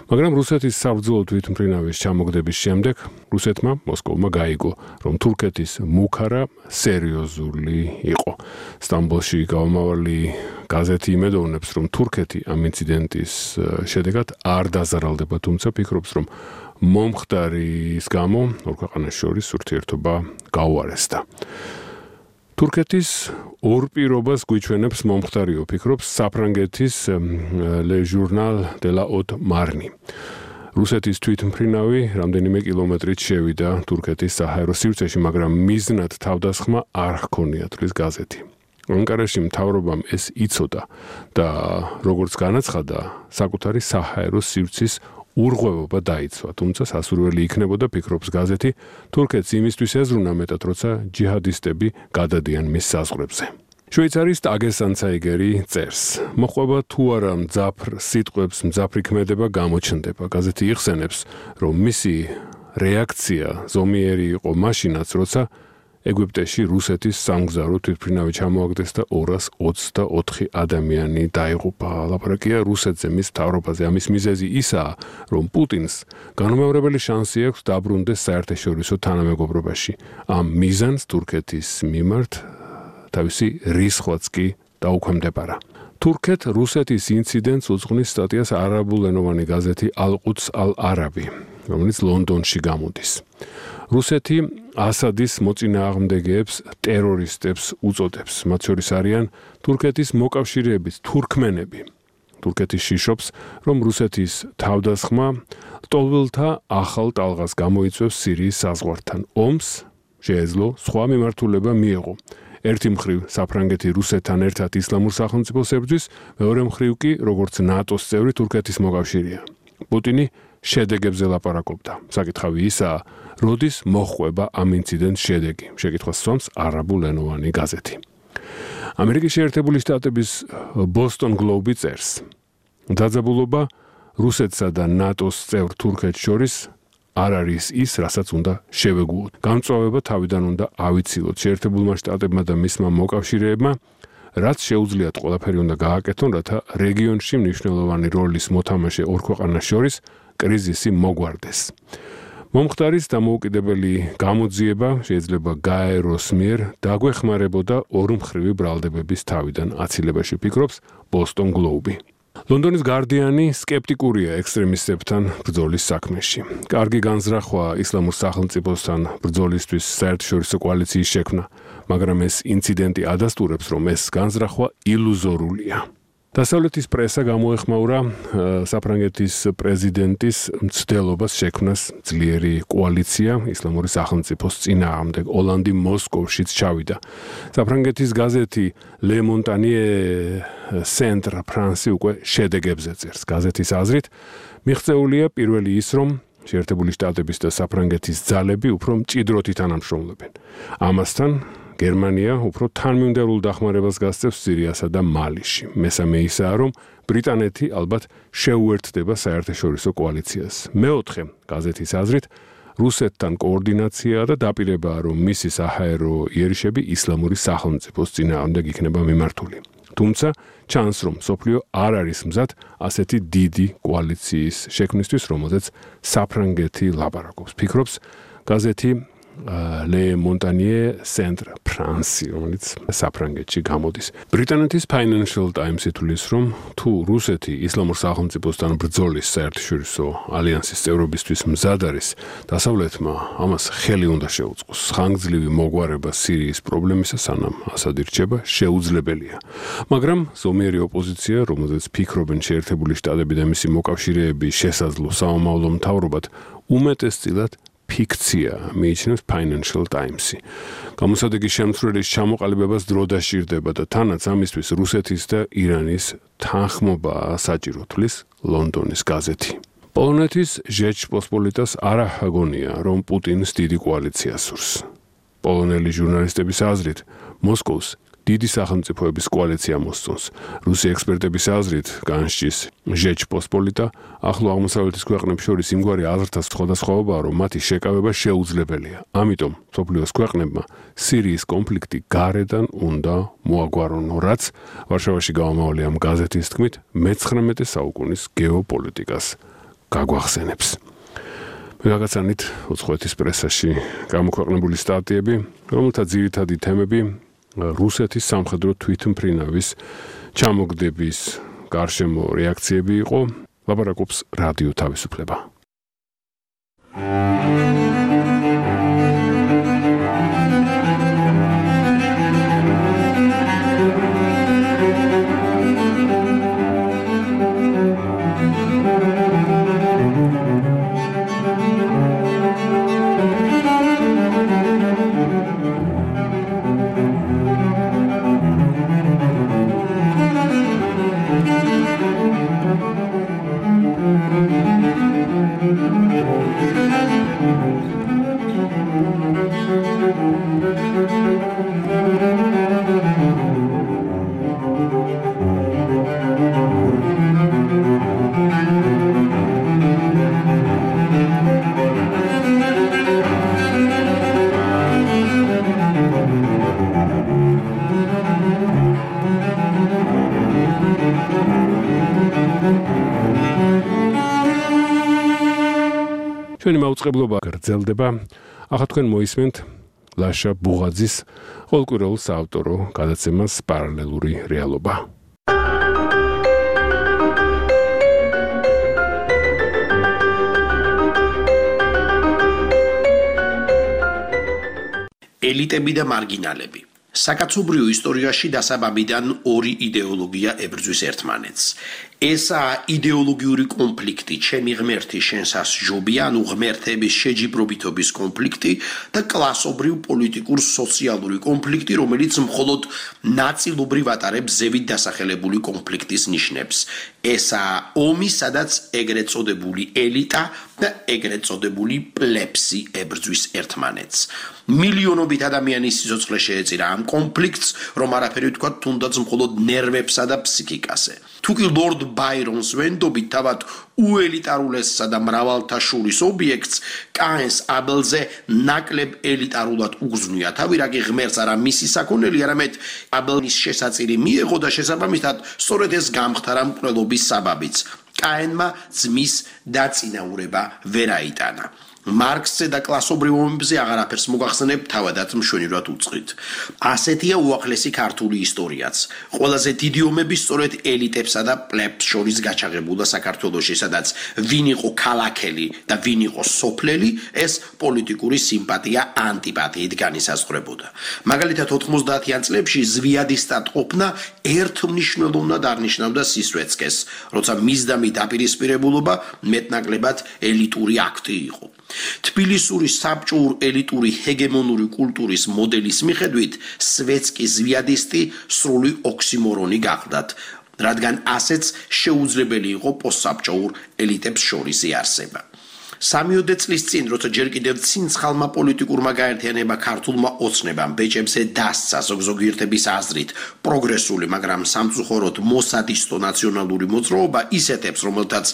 მაგრამ რუსეთის საბრძოლო თვითმფრინავის ჩამოგდების შემდეგ რუსეთმა მოსკოვმა გაიგო, რომ თურქეთის მუქარა სერიოზული იყო. სტამბოლში გამომავალი გაზეთი იმედოვნებს, რომ თურქეთი ამ ინციდენტის შედეგად არ დაზარალდება, თუმცა ფიქრობს, რომ მომხდარის გამო ორ ქვეყანას შორის ურთიერთობა გაუარესდა. თურქეთის ორ პირობას გვიჩვენებს მომხდარიო, ფიქრობს საფრანგეთის Le Journal de la Haute Marne. რუსეთის თვითმფრინავი რამდენიმე კილომეტრით შევიდა თურქეთის საჰაერო სივრცეში, მაგრამ მიზნად თავდასხმა არ ჰქონია, თვლის გაზეთი. ანკარაში მთავრობამ ეს იცოდა და როგორც განაცხადა, საკუთარი საჰაერო სივრცის ურღვევობა დაიცვა, თუმცა სასურველი იქნებოდა, ფიქრობს გაზეთი, თურქეთს იმისთვის ეზრუნა მეტად, როცა ჯიჰადისტები გადადიან მის საზღვრებზე. შვეიცარიის ტაგეს-ანცაიგერი წერს, მოყვება თუ არა მძაფრ სიტყვებს მძაფრი ქმედება გამოჩნდება. გაზეთი იხსენებს, რომ მისი რეაქცია ზომიერი იყო მაშინაც, როცა ეგვიპტეში რუსეთის სამგზავრო თვითმფრინავი ჩამოაგდეს და ორას ოცდაოთხი ადამიანი დაიღუპა. ლაპარაკია რუსეთზე, მის მთავრობაზე. ამის მიზეზი ისაა, რომ პუტინს განუმეორებელი შანსი აქვს დაბრუნდეს საერთაშორისო თანამეგობრობაში. ამ მიზანს თურქეთის მიმართ თავისი რისხვაც კი დაუქვემდებარა. თურქეთ რუსეთის ინციდენტს უძღვნის სტატიას არაბულენოვანი გაზეთი ალ-ყუდს ალ-არაბი, რომელიც ლონდონში გამოდის. რუსეთი ასადის მოწინააღმდეგეებს ტერორისტებს უწოდებს. მათ შორის არიან თურქეთის მოკავშირეების თურქმენები. თურქეთი შიშობს, რომ რუსეთის თავდასხმა ლტოლვილთა ახალ ტალღას გამოიწვევს სირიის საზღვართან. ომს შეეძლო სხვა მიმართულება მიეღო. ერთი მხრივ საფრანგეთი რუსეთთან ერთად ისლამურ სახელმწიფოს ებრძვის, მეორე მხრივ კი, როგორც ნატოს წევრი, თურქეთის მოკავშირეა. პუტინი შედეგებზე ლაპარაკობდა. საკითხავი ისაა, როდის მოჰყვება ამ ინციდენტს შედეგი, შეკითხვას სვამს არაბულენოვანი გაზეთი. ამერიკის შეერთებული შტატების Boston Globe წერს, დაძაბულობა რუსეთსა და ნატოს წევრ თურქეთს შორის არ არის ის, რასაც უნდა შევეგუოთ. გამწვავება თავიდან უნდა ავიცილოთ. შეერთებულმა შტატებმა და მისმა მოკავშირეებმა რაც შეუძლიათ ყველაფერი უნდა გააკეთონ, რათა რეგიონში მნიშვნელოვანი როლის მოთამაშე ორ ქვეყანას შორის კრიზისი მოგვარდეს. მომხდარის დამოუკიდებელი გამოძიება შეიძლება გაეროს მიერ დაგვეხმარებოდა ორმხრივი ბრალდებების თავიდან აცილებაში, ფიქრობს Boston Globe. ლონდონის გარდიანი სკეპტიკურია ექსტრემისტებთან ბრძოლის საქმეში. კარგი განზრახვა ისლამურ სახელმწიფოსთან ბრძოლისთვის საერთაშორისო კოალიციის შექმნა, მაგრამ ეს ინციდენტი ადასტურებს, რომ ეს განზრახვა ილუზორულია. დასავლეთის პრესა გამოეხმაურა საფრანგეთის პრეზიდენტის მცდელობას შექმნას ძლიერი კოალიცია ისლამური სახელმწიფოს წინააღმდეგ. ოლანდი მოსკოვშიც ჩავიდა. საფრანგეთის გაზეთი Le Montagne Centre France უკვე შედეგებზე წერს. გაზეთის აზრით, მიღწეულია პირველი ის, რომ შეერთებული შტატების და საფრანგეთის ძალები უფრო მჭიდროდ ითანამშრომლებენ. ამასთან გერმანია უფრო თანმიმდევრულ დახმარებას გასცემს სირიასა და მალიში. მესამე ისაა, რომ ბრიტანეთი ალბათ შეუერთდება საერთაშორისო კოალიციას. მეოთხე, გაზეთის აზრით, რუსეთთან koordinatsia და დაპირებაა, რომ მისი საჰაერო იერიშები ისლამური სახელმწიფოს წინააღმდეგ იქნება მიმართული. თუმცა ჩანს, რომ სოფლიო არ არის მზად ასეთი დიდი კოალიციის შექმნისთვის, რომელზეც საფრანგეთი ლაპარაკობს. ფიქრობს გაზეთი ლე მონტანიე ცენტრ ფრანსი, რომელიც საფრანგეთში გამოდის. ბრიტანეთის Financial Times ითვლის, რომ თუ რუსეთი ისლამურ სახელმწიფოსთან ბრძოლის საერთაშორისო ალიანსის წევრობისთვის მზად არის, დასავლეთმა ამას ხელი უნდა შეუწყოს. ხანგრძლივი მოგვარება სირიის პრობლემისა სანამ ასად ირჩება შეუძლებელია. მაგრამ ზომიერი ოპოზიცია, რომელზეც ფიქრობენ შეერთებული შტატები და მისი მოკავშირეები შესაძლო სამომავლო მთავრობად, უმეტესწილად ფიქცია, მიიჩნევს Financial Times-ი. გამოსადეგის შემცვლელის ჩამოყალიბებას დრო დასჭირდება და თანაც ამისთვის რუსეთის და ირანის თანხმობა საჭირო, თვლის ლონდონის გაზეთი. პოლონეთის ჟეჩპოსპოლიტას არ აღგონია, რომ პუტინს დიდი კოალიცია სურს. პოლონელი ჟურნალისტების აზრით, მოსკოვს დიდი სახელმწიფოების კოალიცია მოსწონს. რუსი ექსპერტების აზრით, განსჯის ჟეჩპოსპოლიტა ახლო აღმოსავლეთის ქვეყნებს შორის იმგვარი აზრთა სხვადასხვაობაა, რომ მათი შეკავება შეუძლებელია. ამიტომ მსოფლიოს ქვეყნებმა სირიის კონფლიქტი გარედან უნდა მოაგვარონო, რაც ვარშავაში გამომავალი ამ გაზეთის თქმით მეცხრამეტე საუკუნის გეოპოლიტიკას გაგვახსენებს. მე გაგაცანით უცხოეთის პრესაში გამოქვეყნებული სტატიები, რომელთა ძირითადი თემები რუსეთის სამხედრო თვითმფრინავის ჩამოგდების გარშემო რეაქციები იყო. ლაპარაკობს რადიო თავისუფლება. ჩვენი მაუწყებლობა გრძელდება. ახლა თქვენ მოისმენთ ლაშა ბუღაძის ყოველკვირეულ საავტორო გადაცემას პარალელური რეალობა. ელიტები და მარგინალები. საკაცობრიო ისტორიაში დასაბამიდან ორი იდეოლოგია ებრძვის ერთმანეთს. ესაა იდეოლოგიური კონფლიქტი, ჩემი ღმერთი შენსას ჯობია, ანუ ღმერთების შეჯიბრობითობის კონფლიქტი და კლასობრივ პოლიტიკურ სოციალური კონფლიქტი, რომელიც მხოლოდ ნაწილობრივ ატარებს ზევით დასახელებული კონფლიქტის ნიშნებს. ესაა ომი, სადაც ეგრეთ წოდებული ელიტა და ეგრეთ წოდებული პლებსი ებრძვის ერთმანეთს. მილიონობით ადამიანის სიცოცხლე შეეწირა ამ კონფლიქტს, რომ არაფერი ვთქვა თუნდაც მხოლოდ ნერვებსა და ფსიქიკაზე. თუკი ლორდ ბაირონს ვენდობით თავად უელიტარულესსა და მრავალთა შორის ობიექტს, კაენს აბელზე ნაკლებ ელიტარულად უგზნია თავი, რაგი ღმერთს არა მისი საქონელი, არამედ აბელის შესაწირი მიეღო და შესაბამისად სწორედ ეს გამხდარა მკვლელობის საბაბიც. კაენმა ძმის დაწინაურება ვერ აიტანა. მარქსზე და კლასობრივ ომებზე აღარაფერს მოგახსენებ, თავადაც მშვენივრად უწყრით. ასეთია უახლესი ქართული ისტორიაც. ყველაზე დიდი ომები სწორედ ელიტებსა და პლებს შორის გაჩაღებულა საქართველოში, სადაც ვინ იყო ქალაქელი და ვინ იყო სოფლელი, ეს პოლიტიკური სიმპათია ანტიპათიით განისაზღვრებოდა. მაგალითად ოთხმოცდაათიან წლებში ზვიადისტად ყოფნა ერთმნიშვნელოვნად არნიშნავდა სისვეცკეს, როცა მისდამი დაპირისპირებულობა მეტნაკლებად ელიტური აქტი იყო. თბილისური საბჭოურ ელიტური ჰეგემონური კულტურის მოდელის მიხედვით სვეცკი ზვიადისტი სრული ოქსიმორონი გახდათ, რადგან ასეც შეუძლებელი იყო პოსტსაბჭოურ ელიტებს შორის იარსება. სამიოდე წლის წინ, როცა ჯერ კიდევ ცინცხალმა პოლიტიკურმა გაერთიანება ქართულმა ოცნებამ ბეჭებზე დასცა ზოგზოგიერთების აზრით პროგრესული, მაგრამ სამწუხაროდ მოსადისტო ნაციონალური მოძრაობა ისეთებს, რომელთაც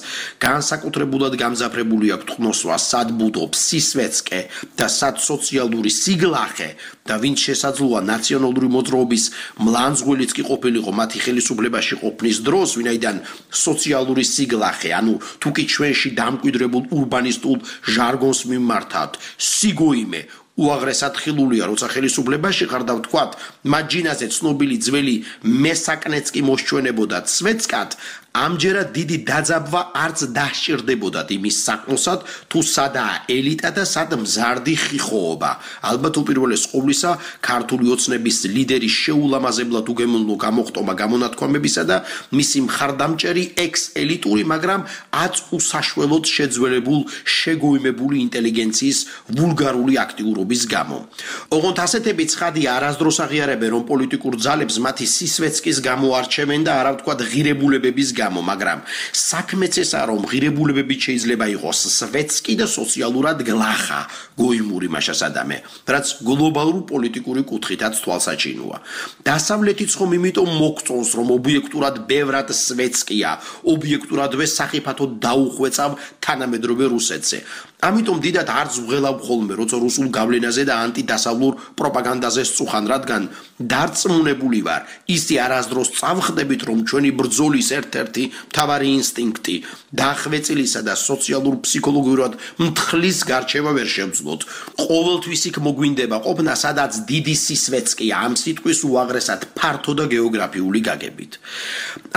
განსაკუთრებულად გამძაფრებული აქვთ ხნოსვა, სად ბუდობს სისვეცკე და სად სოციალური სიგლახე და ვინც შესაძლოა ნაციონალური მოძრაობის მლანძღვილიც კი ყოფილიყო მათი ხელისუფლებაში ყოფნის დროს, ვინაიდან სოციალური სიგლახე, ანუ თუკი ჩვენში დამკვიდრებულ ურბანის ჟარგონს მიმართავთ, სიგოიმე, უაღრესად ხილულია, როცა ხელისუფლებაში ხარ და ვთქვათ, მათ ჯინაზე ცნობილი ძველი მესაკნეც კი მოსჩვენებოდათ სვეტსკად, ამჯერად დიდი დაძაბვა არც დასჭირდებოდათ იმის საქმოსად, თუ სადაა ელიტა და სად მზარდი ხიხოობა. ალბათ უპირველეს ყოვლისა, ქართული ოცნების ლიდერის შეულამაზებლად უგემოვნო გამოხტომა გამონათქვამებისა და მისი მხარდამჭერი ექს-ელიტური, მაგრამ აც უსაშველოდ შეძველებულ, შეგოიმებული ინტელიგენციის ვულგარული აქტიურობის გამო. ოღონდ ასეთები ცხადია არასდროს აღიარებენ, რომ პოლიტიკურ ძალებს მათი სისვეცკის გამო არჩევენ და არა ვთქვათ ღირებულებების გამო. მაგრამ საქმეც ესაა, რომ ღირებულებებით შეიძლება იყოს სვეტსკი და სოციალურად გლახა, გოიმური მაშასადამე, რაც გლობალურ პოლიტიკური კუთხითაც თვალსაჩინოა. დასავლეთიც ხომ იმიტომ მოგწონს, რომ ობიექტურად ბევრად სვეტსკია, ობიექტურადვე სახიფათოდ დაუხვეწავ თანამედროვე რუსეთზე. ამიტომ დიდად არც ვღელავ ხოლმე, როცა რუსულ გავლენაზე და ანტიდასავლურ პროპაგანდაზე სწუხან, რადგან დარწმუნებული ვარ, ისი არასდროს წავხდებით, რომ ჩვენი ბრძოლის ერთ-ერთი მთავარი ინსტინქტი დახვეწილისა და სოციალურ ფსიქოლოგიურად მთხლის გარჩევა ვერ შევძლოთ. ყოველთვის იქ მოგვინდება ყოფნა, სადაც დიდი სისვეცკია, ამ სიტყვის უაღრესად ფართო და გეოგრაფიული გაგებით.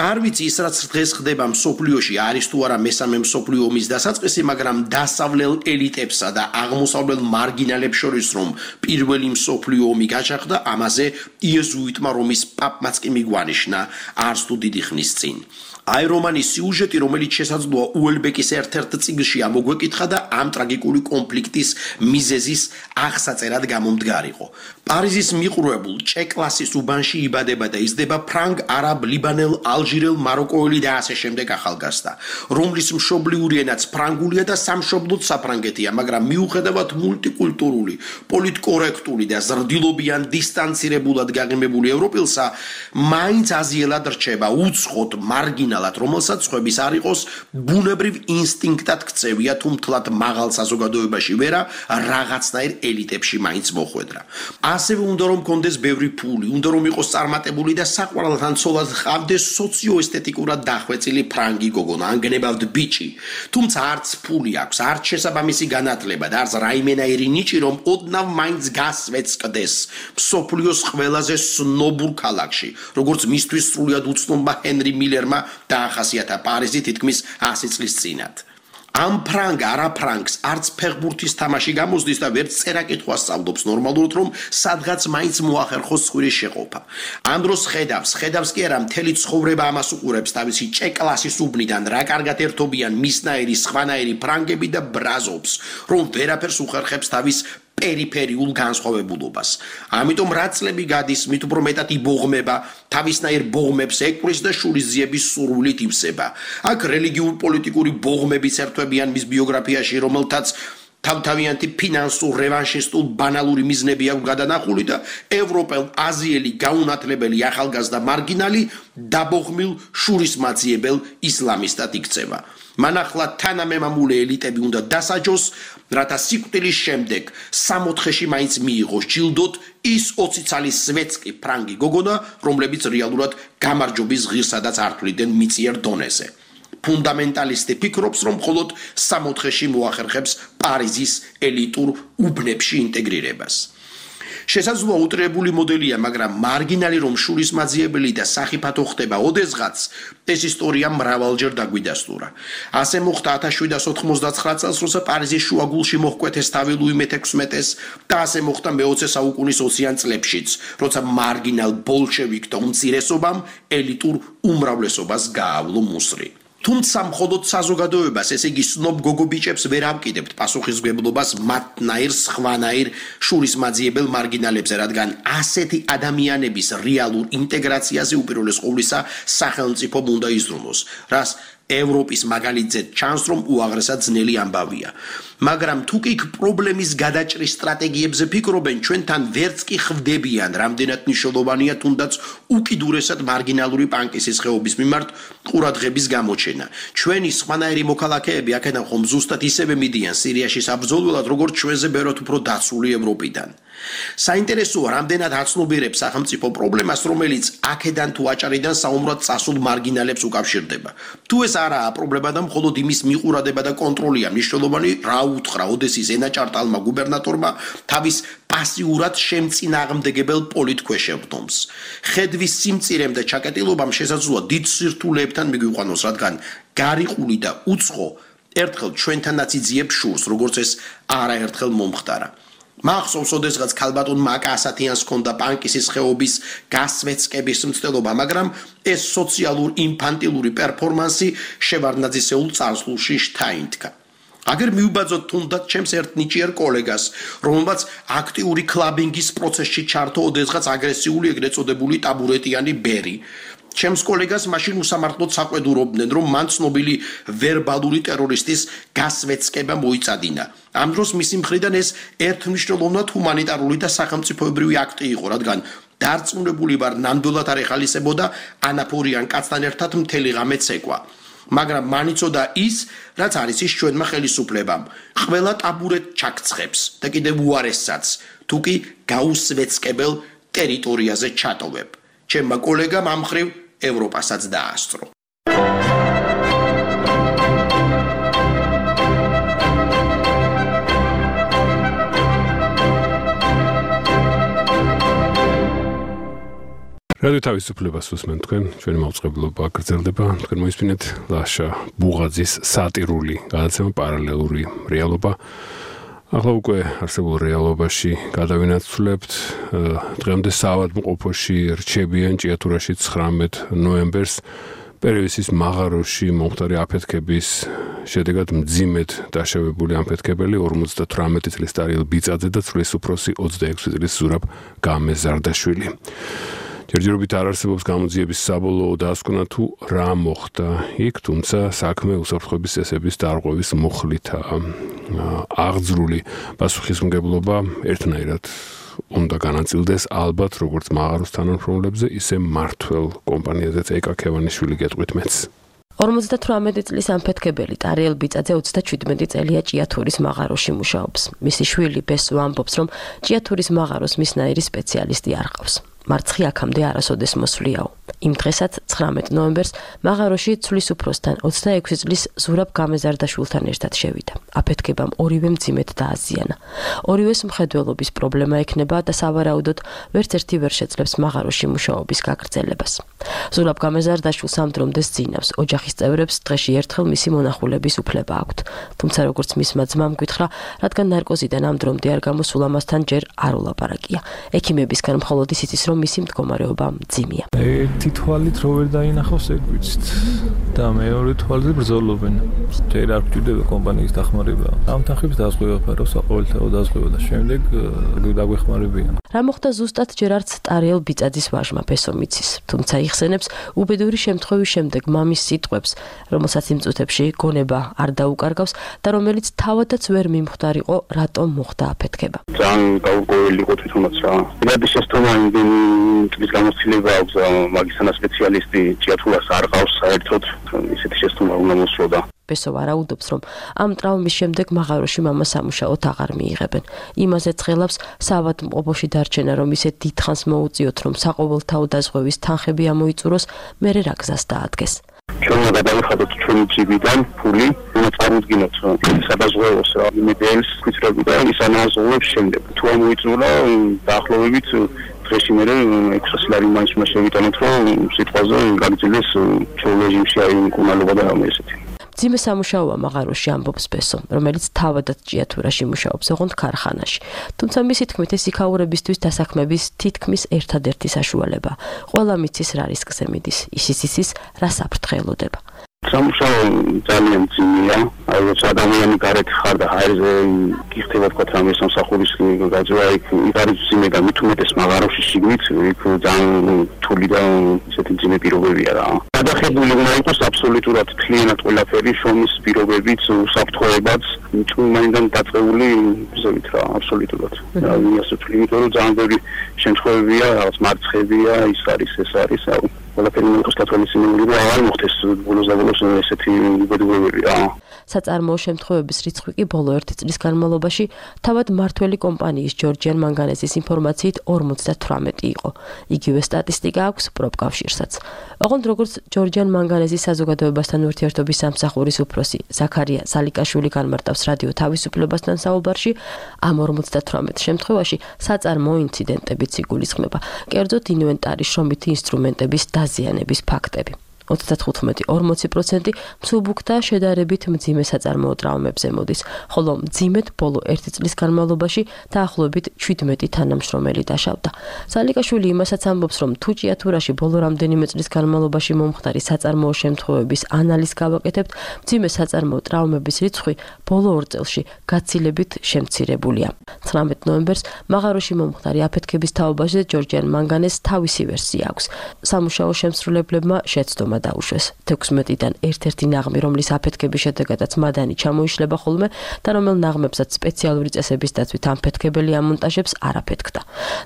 არ ვიცი ის რაც დღეს ხდება მსოფლიოში არის თუ არა მესამე მსოფლიო ომის დასაწყისი, მაგრამ დასავლელ ელიტებსა და აღმოსავლელ მარგინალებს შორის რომ პირველი მსოფლიო ომი გაჩაღდა, ამაზე იეზუიტმა რომის პაპმაც კი მიგვანიშნა არც თუ დიდი ხნის წინ. აი რომანის სიუჟეტი, რომელიც შესაძლოა უელბეკის ერთ-ერთ წიგნში ამოგვეკითხა და ამ ტრაგიკული კონფლიქტის მიზეზის აღსაწერად გამომდგარიყო. პარიზის მიყრუებულ ჭე-კლასის უბანში იბადება და იზრდება ფრანგ, არაბ, ლიბანელ, ალჟირელ, მაროკოელი და ასე შემდეგ ახალგაზრდა, რომლის მშობლიური ენაც ფრანგულია და სამშობლოც საფრანგეთია, მაგრამ მიუხედავად მულტიკულტურული, პოლიტკორექტული და ზრდილობიან დისტანცირებულად გაღიმებული ევროპელსა, მაინც აზიელად რჩება უცხოდ მარგინალ რომელსაც ხვების არ იყოს ბუნებრივ ინსტინქტად ქცევია, თუ მთლად მაღალ საზოგადოებაში ვერა, რაღაცნაირ ელიტებში მაინც მოხვედრა. ასევე უნდა რომ კონდეს ბევრი ფული, უნდა რომ იყოს წარმატებული და საყვარელთან ცოლად ჰყავდეს სოციოესთეტიკურად დახვეწილი ფრანგი გოგონა, ან გნებავთ ბიჭი. თუმცა არც ფული აქვს, არც შესაბამისი განათლება და არც რაიმენაირი ნიჭი, რომ ოდნავ მაინც გასვეწკდეს მსოფლიოს ყველაზე სნობურ ქალაქში, როგორც მისთვის სრულად უცნობმა ჰენრი მილერმა დაახასიათა პარიზი თითქმის ასი წლის წინათ. ამ ფრანგ არა ფრანგს არც ფეხბურთის თამაში გამოსდის და ვერც წერა-კითხვა სწავლობს ნორმალურად, რომ სადღაც მაინც მოახერხოს სხვირის შეყოფა. ამ დროს ხედავს, ხედავს კი არა, მთელი ცხოვრება ამას უყურებს თავისი ჭე-კლასის უბნიდან, რა კარგად ერთობიან მისნაირი, სხვანაირი ფრანგები და ბრაზობს, რომ ვერაფერს უხერხებს თავის პერიფერიულ განსხვავებულობას. ამიტომ რა წლები გადის, მით უფრო მეტად იბოღმება, თავისნაირ ბოღმებს ეკვრის და შურისძიების სურვილით ივსება. აქ რელიგიურ პოლიტიკური ბოღმებიც ერთვებიან მის ბიოგრაფიაში, რომელთაც თავთავიანთი ფინანსურ რევანშისტულ ბანალური მიზნები აქვს გადანახული და ევროპელ, აზიელი, გაუნათლებელი ახალგაზრდა მარგინალი დაბოღმილ შურისმაძიებელ ისლამისტად იქცევა. მან ახლა თანამემამულე ელიტები უნდა დასაჯოს, რათა სიკვდილის შემდეგ სამოთხეში მაინც მიიღოს ჯილდოთ ის ოცი წლის სვეტსკი ფრანგი გოგონა, რომლებიც რეალურად გამარჯვების ღირსადაც ართვლიდნენ მიწიერ დონეზე. ფუნდამენტალისტი ფიქრობს, რომ მხოლოდ სამოთხეში მოახერხებს პარიზის ელიტურ უბნებში ინტეგრირებას. შესაძლოა უტრირებული მოდელია, მაგრამ მარგინალი რომ შურისმაძიებელი და სახიფათო ხდება ოდესღაც, ეს ისტორია მრავალჯერ დაგვიდასტურა. ასე მოხდა ათას შვიდსათ ოთხმოცდაცხრა წელს, როცა პარიზის შუაგულში მოჰკვეთეს თავი ლუი მეთექვსმეტეს და ასე მოხდა მეოცე საუკუნის ოციან წლებშიც, როცა მარგინალ ბოლშევიკთა უმცირესობამ ელიტურ უმრავლესობას გაავლო მუსრი. თუმცა მხოლოდ საზოგადოებას, ესე იგი სნობ გოგობიჭებს ვერ ამკიდებთ პასუხისმგებლობას მათნაირ სხვანაირ შურისმაძიებელ მარგინალებზე, რადგან ასეთი ადამიანების რეალურ ინტეგრაციაზე უპირველეს ყოვლისა სახელმწიფომ უნდა იზრუნოს, რას ევროპის მაგალითზე ჩანს, რომ უაღრესად ძნელი ამბავია. მაგრამ თუ კი პრობლემის გადაჭრის სტრატეგიებზე ფიქრობენ, ჩვენთან ვერც კი ხვდებიან, რამდენად მნიშვნელოვანია თუნდაც უკიდურესად მარგინალური პანკისის ხეობის მიმართ ყურადღების გამოჩენა. ჩვენი სხვანაირი მოქალაქეები აქედან ხომ ზუსტად ისევე მიდიან სირიაში საბრძოლველად, როგორც ჩვენზე ბევრად უფრო დაცული ევროპიდან. საინტერესოა, რამდენად აცნობიერებს სახელმწიფო პრობლემას, რომელიც აქედან თუ აჭარიდან საომრად წასულ მარგინალებს უკავშირდება. თუ ეს არაა პრობლემა და მხოლოდ იმის მიყურადება და კონტროლია მნიშვნელოვანი, რა უთხრა ოდესის ენაჭარტალმა გუბერნატორმა თავის პასიურად შემწინააღმდეგებელ პოლიტქვეშევრდომს. ხედვის სიმწირემ და ჩაკეტილობამ შესაძლოა დიდ სირთულეებთან მიგვიყვანოს, რადგან გარიყული და უცხო ერთხელ ჩვენთანაც იძიებს შურს, როგორც ეს არაერთხელ მომხდარა. მახსოვს ოდესღაც ქალბატონ მაკა ასათიანს ჰქონდა პანკისის ხეობის გასვეცკების მცდელობა, მაგრამ ეს სოციალურ ინფანტილური პერფორმანსი შევარდნაძისეულ წარსულში შთაინთქა. აგერ მივბაძოთ თუნდაც ჩემს ერთ ნიჭიერ კოლეგას, რომელმაც აქტიური კლაბინგის პროცესში ჩართო ოდესღაც აგრესიული ეგრეთ წოდებული ტაბურეტიანი ბერი. ჩემს კოლეგას მაშინ უსამართლოდ საყვედურობდნენ, რომ მან ცნობილი ვერბალური ტერორისტის გასვეცკება მოიწადინა. ამ დროს მისი მხრიდან ეს ერთმნიშვნელოვნად ჰუმანიტარული და სახელმწიფოებრივი აქტი იყო, რადგან დარწმუნებული ვარ, ნამდვილად არ ეხალისებოდა ანაფორიან კაცთან ერთად მთელი ღამე ცეკვა. მაგრამ მან იცოდა ის, რაც არის ის ჩვენმა ხელისუფლებამ. ყველა ტაბურეტ ჩაქცხვებს და კიდევ უარესსაც, თუ კი გაუსვეცკებელ ტერიტორიაზე ჩატოვებ. ჩემმა კოლეგამ ამ მხრივ ევროპასაც დაასწრო. რადიო თავისუფლებას უსმენთ თქვენ, ჩვენი მაუწყებლობა გრძელდება, თქვენ მოისმინეთ ლაშა ბუღაძის სატირული გადაცემა პარალელური რეალობა. ახლა უკვე არსებულ რეალობაში გადავინაცვლებთ, დღემდე საავადმყოფოში რჩებიან ჭიათურაში ცხრამეტ ნოემბერს პერევისის მაღაროში მომხდარი აფეთქების შედეგად მძიმედ დაშავებული ამფეთქებელი ორმოცდათვრამეტი წლის ტარიელ ბიწაძე და წლის უფროსი ოცდაექვსი წლის ზურაბ გამეზარდაშვილი. ჯერჯერობით არ არსებობს გამოძიების საბოლოო დასკვნა თუ რა მოხდა იქ, თუმცა საქმე უსაფრთხოების წესების დარღვევის მუხლითაა აღძრული პასუხისმგებლობა ერთნაირად უნდა განაწილდეს ალბათ როგორც მაღაროს თანამშრომლებზე, ისე მმართველ კომპანიაზეც ეკა ქევანიშვილი გეტყვით მეც. ორმოცდათვრამეტი წლის ამფეთქებელი ტარიელ ბიწაძე ოცდაჩვიდმეტი წელია ჭიათურის მაღაროში მუშაობს. მისი შვილი ბესო ამბობს, რომ ჭიათურის მაღაროს მისნაირი სპეციალისტი არ ყავს. მარცხი აქამდე არასოდეს მოსვლიაო. იმ დღესაც ცხრამეტ ნოემბერს მაღაროში ცვლის უფროსთან ოცდაექვსი წლის ზურაბ გამეზარდაშვილთან ერთად შევიდა. აფეთქებამ ორივე მძიმედ დააზიანა. ორივეს მხედველობის პრობლემა ექნება და სავარაუდოდ ვერც ერთი ვერ შეძლებს მაღაროში მუშაობის გაგრძელებას. ზურაბ გამეზარდაშვილს ამ დრომდე სძინავს. ოჯახის წევრებს დღეში ერთხელ მისი მონახულების უფლება აქვთ. თუმცა როგორც მისმა ძმამ გითხრა, რადგან ნარკოზიდან ამ დრომდე არ გამოსულ ამასთან ჯერ არ ულაპარაკია. ექიმებისგან მხოლოდ ისიც ის, რომ მისი მდგომარეობა მძიმეა. ერთი თვალით რო ვერ დაინახავს ეგ ვიცით და მეორე თვალზე ბრძოლობენ. ჯერ არ გვჭირდება კომპანიის დახმარება. ამ თანხებს დაზღვევა ფარავს, ყოველთაოდ დაზღვევა და შემდეგ დაგვეხმარებიან. რა მოხდა ზუსტად ჯერ არც ტარიელ ბიწაძის ვაჟმა ბესო მიცის, თუმცა იხსენებს უბედური შემთხვევის შემდეგ მამის სიტყვებს, რომელსაც იმ წუთებში გონება არ დაუკარგავს და რომელიც თავადაც ვერ მიმხვდარიყო, რატომ მოხდა აფეთქება. ძალიან გაურკვეველი იყო თვითონაც რა. იმედი შეცდომა იმდენი წლის გამოცდილება აქვს მაგისანა სპეციალისტი ჭიათურას არ ყავს საერთოდ ისეთი შეცდომა უნდა მოსვლოდა. ბესო ვარაუდობს, რომ ამ ტრავმის შემდეგ მაღაროში მამა სამუშაოდ აღარ მიიღებენ. იმაზე ცხელავს საავადმყოფოში დარჩენა, რომ ისე დიდხანს მოუწიოთ, რომ საყოველთაო დაზღვევის თანხები ამოიწუროს, მერე რა გზას დაადგეს. ჩვენ უნდა გადავიხადოთ ჩვენი ჯიბიდან ფული, უნდა წარმოვიდგინოთ სადაზღვევოს იმედიელს ქვითრები და ის ანაზღაურებს შემდეგ. თუ ამოიწურა დაახლოებით დღეში მერე ექვსი ლარი მაინც უნდა შევიტანოთ, რომ სიტყვაზე გაგრძელდეს ჩვეულ რეჟიმში აი მკურნალობა და რამე ესეთი. მძიმე სამუშაოა მაღაროში ამბობს ბესო, რომელიც თავადაც ჭიათურაში მუშაობს, ოღონდ ქარხანაში. თუმცა მისი თქმით ეს იქაურებისთვის დასაქმების თითქმის ერთადერთი საშუალება. ყველა მიცის რა რისკზე მიდის, ისიც იცის რა საფრთხელოდება. სამუშაო ძალიან ძიმეა, აი როცა ადამიანი გარეთ ხარ და ჰაერზე გიხდება თქვა რამე სამსახურის გაძვა, იქ იქ არის ძიმე და მით უმეტეს მაღაროში შიგნით, იქ ძალიან რთული და ისეთი ძიმე პირობებია რა. გადახებული უნდა იყოს აბსოლუტურად მთლიანად ყველაფერი, შრომის პირობებიც, უსაფრთხოებაც, ჭუმაინდან დაწყებული ზოლით რა, აბსოლუტურად. და ვინასაც ვთვლი, იმიტომ რომ ძალიან ბევრი შემთხვევებია, რაღაც მარცხებია, ის არის, ეს არის, აუ ყველაფერი მოხდეს გათვალისწინებული და აღარ მოხდეს ბოლოს და ბოლოს ესეთი უბედურებები რა. საწარმოო შემთხვევების რიცხვი კი ბოლო ერთი წლის განმავლობაში თავად მართველი კომპანიის ჯორჯიან მანგანეზის ინფორმაციით ორმოცდათვრამეტი იყო. იგივე სტატისტიკა აქვს პროფკავშირსაც. ოღონდ როგორც ჯორჯიან მანგანეზის საზოგადოებასთან ურთიერთობის სამსახურის უფროსი ზაქარია სალიკაშვილი განმარტავს რადიო თავისუფლებასთან საუბარში, ამ ორმოცდათვრამეტ შემთხვევაში საწარმოო ინციდენტებიც იგულისხმება. კერძოდ ინვენტარის შრომითი ინსტრუმენტების დაზიანების ფაქტები. ოცდათხუთმეტი ორმოცი პროცენტი მსუბუქ და შედარებით მძიმე საწარმოო ტრაუმებზე მოდის, ხოლო მძიმედ ბოლო ერთი წლის განმავლობაში დაახლოებით შვიდმეტი თანამშრომელი დაშავდა. სალიკაშვილი იმასაც ამბობს, რომ თუ ჭიათურაში ბოლო რამდენიმე წლის განმავლობაში მომხდარი საწარმოო შემთხვევების ანალიზს გავაკეთებთ, მძიმე საწარმოო ტრაუმების რიცხვი ბოლო ორ წელში გაცილებით შემცირებულია. ცხრამეტ ნოემბერს მაღაროში მომხდარი აფეთქების თაობაზე ჯორჯიან მანგანეს თავისი ვერსია აქვს. სამუშაო შემსრულებლებმა შეცდომა დაუშვეს. თექვსმეტიდან ერთ-ერთი ნაღმი, რომლის აფეთქების შედეგადაც მადანი ჩამოიშლება ხოლმე და რომელ ნაღმებსაც სპეციალური წესების დაცვით ამფეთქებელი ამონტაჟებს არ აფეთქდა.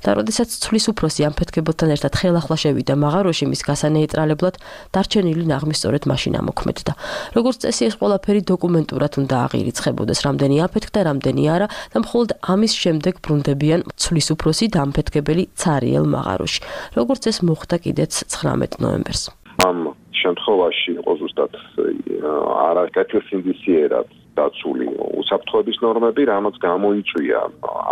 და როდესაც ცვლის უფროსი ამფეთქებელთან ერთად ხელახლა შევიდა მაღაროში მის გასანეიტრალებლად, დარჩენილი ნაღმი სწორედ მაშინ ამოქმედდა. როგორც წესი, ეს ყველაფერი დოკუმენტურად უნდა აღირიცხებოდეს, რამდენი აფეთქდა, რამდენი არა და მხოლოდ ამის შემდეგ ბრუნდებიან ცვლის უფროსი და ამფეთქებელი ცარიელ მაღაროში. როგორც ეს მოხდა კიდეც ცხრამეტ ნოემბერს. ამ შემთხვევაში იყო ზუსტად არაკეთილსინდისიერად დაცული უსაფრთხოების ნორმები, რამაც გამოიწვია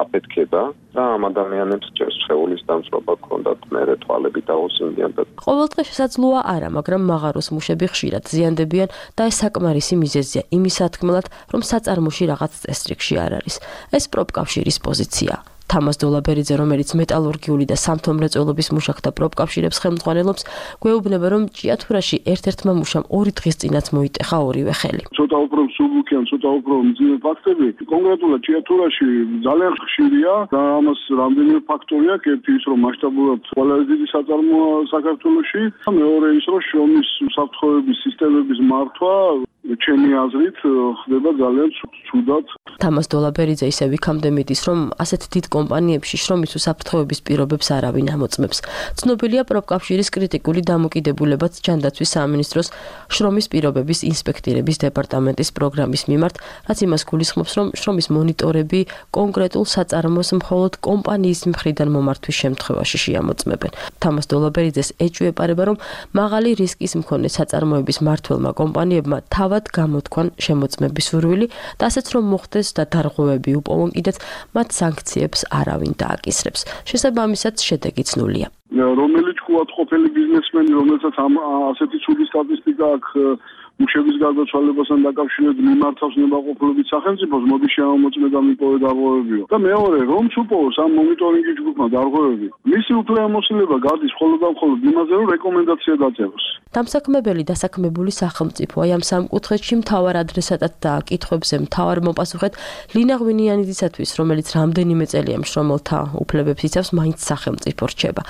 აფეთქება და ამ ადამიანებს ჭერს სხეულის დამწვრობა ჰქონდათ მერე თვალები დაუსინდიან და ყოველდღე შესაძლოა არა, მაგრამ მაღაროს მუშები ხშირად ზიანდებიან და ეს საკმარისი მიზეზია იმის სათქმელად, რომ საწარმოში რაღაც წესრიგში არ არის. ეს პროფკავშირის პოზიციაა. თამას დოლაბერიძე, რომელიც მეტალურგიული და სამთო-მრეწველობის მუშაკთა პროფკავშირებს ხელმძღვანელობს, გვეუბნება, რომ ჭიათურაში ერთ-ერთმა მუშამ ორი დღის წინაც მოიტეხა ორივე ხელი. ცოტა უფრო მსუბუქი ან ცოტა უფრო მძიმე ფაქტები კონკრეტულად ჭიათურაში ძალიან ხშირია და ამას რამდენიმე ფაქტორი აქვს. ერთი ის, რომ მასშტაბურად ყველაზე დიდი საწარმოა საქართველოში, მეორე ის, რომ შრომის უსაფრთხოების სისტემების მართვა ჩემი აზრით ხდება ძალიან ცუდად. თამას დოლაბერიძე ისევ იქამდე მიდის, რომ ასეთ დიდ კომპანიებში შრომის უსაფრთხოების პირობებს არავინ ამოწმებს. ცნობილია პროფკავშირის კრიტიკული დამოკიდებულებაც ჯანდაცვის სამინისტროს შრომის პირობების ინსპექტირების დეპარტამენტის პროგრამის მიმართ, რაც იმას გულისხმობს, რომ შრომის მონიტორები კონკრეტულ საწარმოს მხოლოდ კომპანიის მხრიდან მომართვის შემთხვევაში შეამოწმებენ. თამას დოლაბერიძეს ეჭვიეპარება, რომ მაღალი რისკის მქონე საწარმოების მმართველმა კომპანიებმა თავად გამოთქვან შემოწმების სურვილი და ასეც რომ მოხდეს და დარღვევები უპოვონ კიდეც, მათ სანქციებს არავინ დააკისრებს. შესაბამისად, შედეგიც ნულია. რომელიც თქვათ ყოფილი ბიზნესმენი, რომელსაც ამ ასეთი ცუდი სტატისტიკა აქვს მუშების გარდაცვალებასთან დაკავშირებით მიმართავს ნებაყოფლობით სახელმწიფოს, მოდი შემოწმე და მიპოვე დარღვევებიო. და მეორე, რომ უპოვოს ამ მონიტორინგის ჯგუფმა დარღვევები, მისი უფლებამოსილება გადის მხოლოდ და მხოლოდ იმაზე, რომ რეკომენდაცია დაწეროს. დამსაქმებელი დასაქმებული სახელმწიფო აი ამ სამ კუთხეში მთავარ ადრესატად და კითხვებზე მთავარ მოპასუხეთ ლინა ღვინიანიძისათვის, რომელიც რამდენიმე წელია მშრომელთა უფლებებს იცავს, მაინც სახელმწიფო რჩება.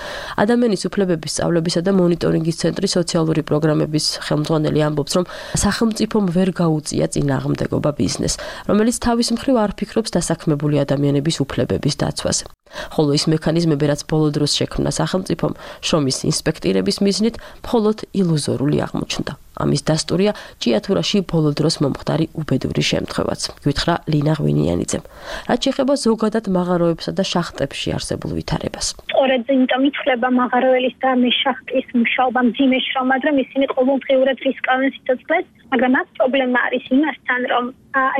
ადამიანის უფლებების სწავლებისა და მონიტორინგის ცენტრის სოციალური პროგრამების ხელმძღვანელი ამბობს, რომ სახელმწიფომ ვერ გაუწია წინააღმდეგობა ბიზნესს, რომელიც თავის მხრივ არ ფიქრობს დასაქმებული ადამიანების უფლებების დაცვაზე. ხოლო ის მექანიზმები, რაც ბოლო დროს შექმნა სახელმწიფომ, შრომის ინსპექტირების მიზნით მხოლოდ ილუზორული აღმოჩნდა. ამის დასტურია ჭიათურაში ბოლო დროს მომხდარი უბედური შემთხვევაც, გითხრა ლინა ღვინიანიძემ. რაც შეეხება ზოგადად მაღაროებსა და შახტებში არსებულ ვითარებას. სწორედ იმიტომ ითვლება მაღაროელის და მეშახტის მუშაობა მძიმე შრომად, რომ ისინი ყოველდღიურად რისკავენ სიცოცხლეს, მაგრამ აქ პრობლემა არის იმასთან, რომ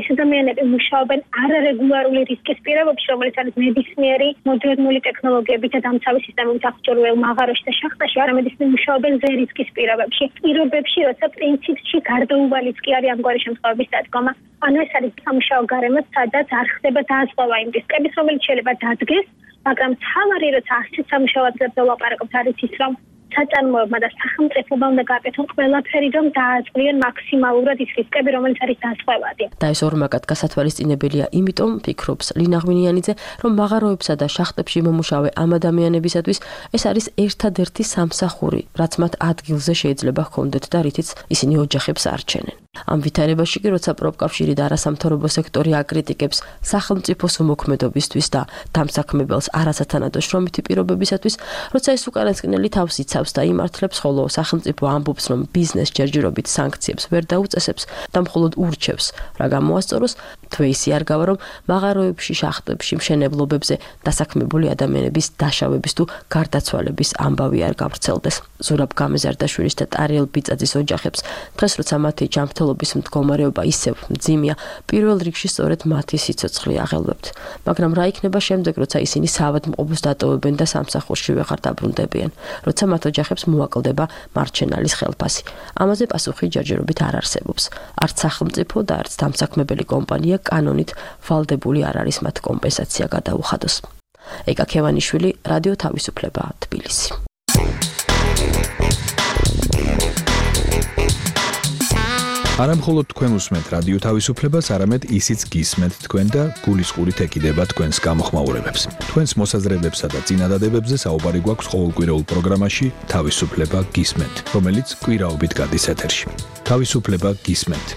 ეს ადამიანები მუშაობენ არარეგულარული რისკის პირობებში, რომელიც არის ნებისმიერი მოდერნული ტექნოლოგიებით და დამცავი სისტემებით აღჭურვილ მაღაროში და შახტაში, არამედ ისინი მუშაობენ ზე რისკის პირობებში. პირობებში, როცა პრინციპში გარდაუვალიც კი არის ამგვარი შემთხვევების დადგომა. ანუ ეს არის სამუშაო გარემო, სადაც არ ხდება დაასწრება იმ რისკების, რომელიც შეიძლება დადგეს, მაგრამ თავარი როცა ასეთ სამუშაო ადგილებზე ვლაპარაკობთ, არის ის, რომ საწარმოებმა და სახელმწიფომ უნდა გააკეთონ ყველაფერი, რომ დააწყვიონ მაქსიმალურად ის რისკები, რომელიც არის დასწვევადი. და ეს ორმაგად გასათვალისწინებელია, იმიტომ ფიქრობს ლინა ღვინიანიძე, რომ მაღაროებსა და შახტებში მომუშავე ამ ადამიანებისათვის ეს არის ერთადერთი სამსახური, რაც მათ ადგილზე შეიძლება ჰქონდეთ და რითიც ისინი ოჯახებს არჩენენ. ამ ვითარებაში კი როცა პროფკავშირი და არასამთავრობო სექტორი აკრიტიკებს სახელმწიფოს უმოქმედობისთვის და დამსაქმებელს არასათანადო შრომითი პირობებისათვის, როცა ეს უკანასკნელი თავს იცავს და იმართლებს, ხოლო სახელმწიფო ამბობს, რომ ბიზნეს ჯერჯერობით სანქციებს ვერ დაუწესებს და მხოლოდ ურჩევს, რა გამოასწოროს, თვეისი არ გავა, რომ მაღაროებში, შახტებში, მშენებლობებზე დასაქმებული ადამიანების დაშავების თუ გარდაცვალების ამბავი არ გავრცელდეს. ზურაბ გამეზარდაშვილის და ტარიელ ბიწაძის ოჯახებს დღეს როცა მათი ჯანმრთელობის მდგომარეობა ისევ მძიმეა, პირველ რიგში სწორედ მათი სიცოცხლე აღელვებთ. მაგრამ რა იქნება შემდეგ, როცა ისინი საავადმყოფოს დატოვებენ და სამსახურში ვეღარ დაბრუნდებიან, როცა მათ ოჯახებს მოაკლდება მარჩენალის ხელფასი. ამაზე პასუხი ჯერჯერობით არ არსებობს. არც სახელმწიფო და არც დამსაქმებელი კომპანია კანონით ვალდებული არ არის მათ კომპენსაცია გადაუხადოს. ეკა ქევანიშვილი, რადიო თავისუფლება, თბილისი. არა მხოლოდ თქვენ უსმენთ რადიო თავისუფლებას, არამედ ისიც გისმენთ თქვენ და გულისყურით ეკიდება თქვენს გამოხმაურებებს. თქვენს მოსაზრებებსა და წინადადებებზე საუბარი გვაქვს ყოველკვირეულ პროგრამაში თავისუფლება გისმენთ, რომელიც კვირაობით გადის ეთერში. თავისუფლება გისმენთ.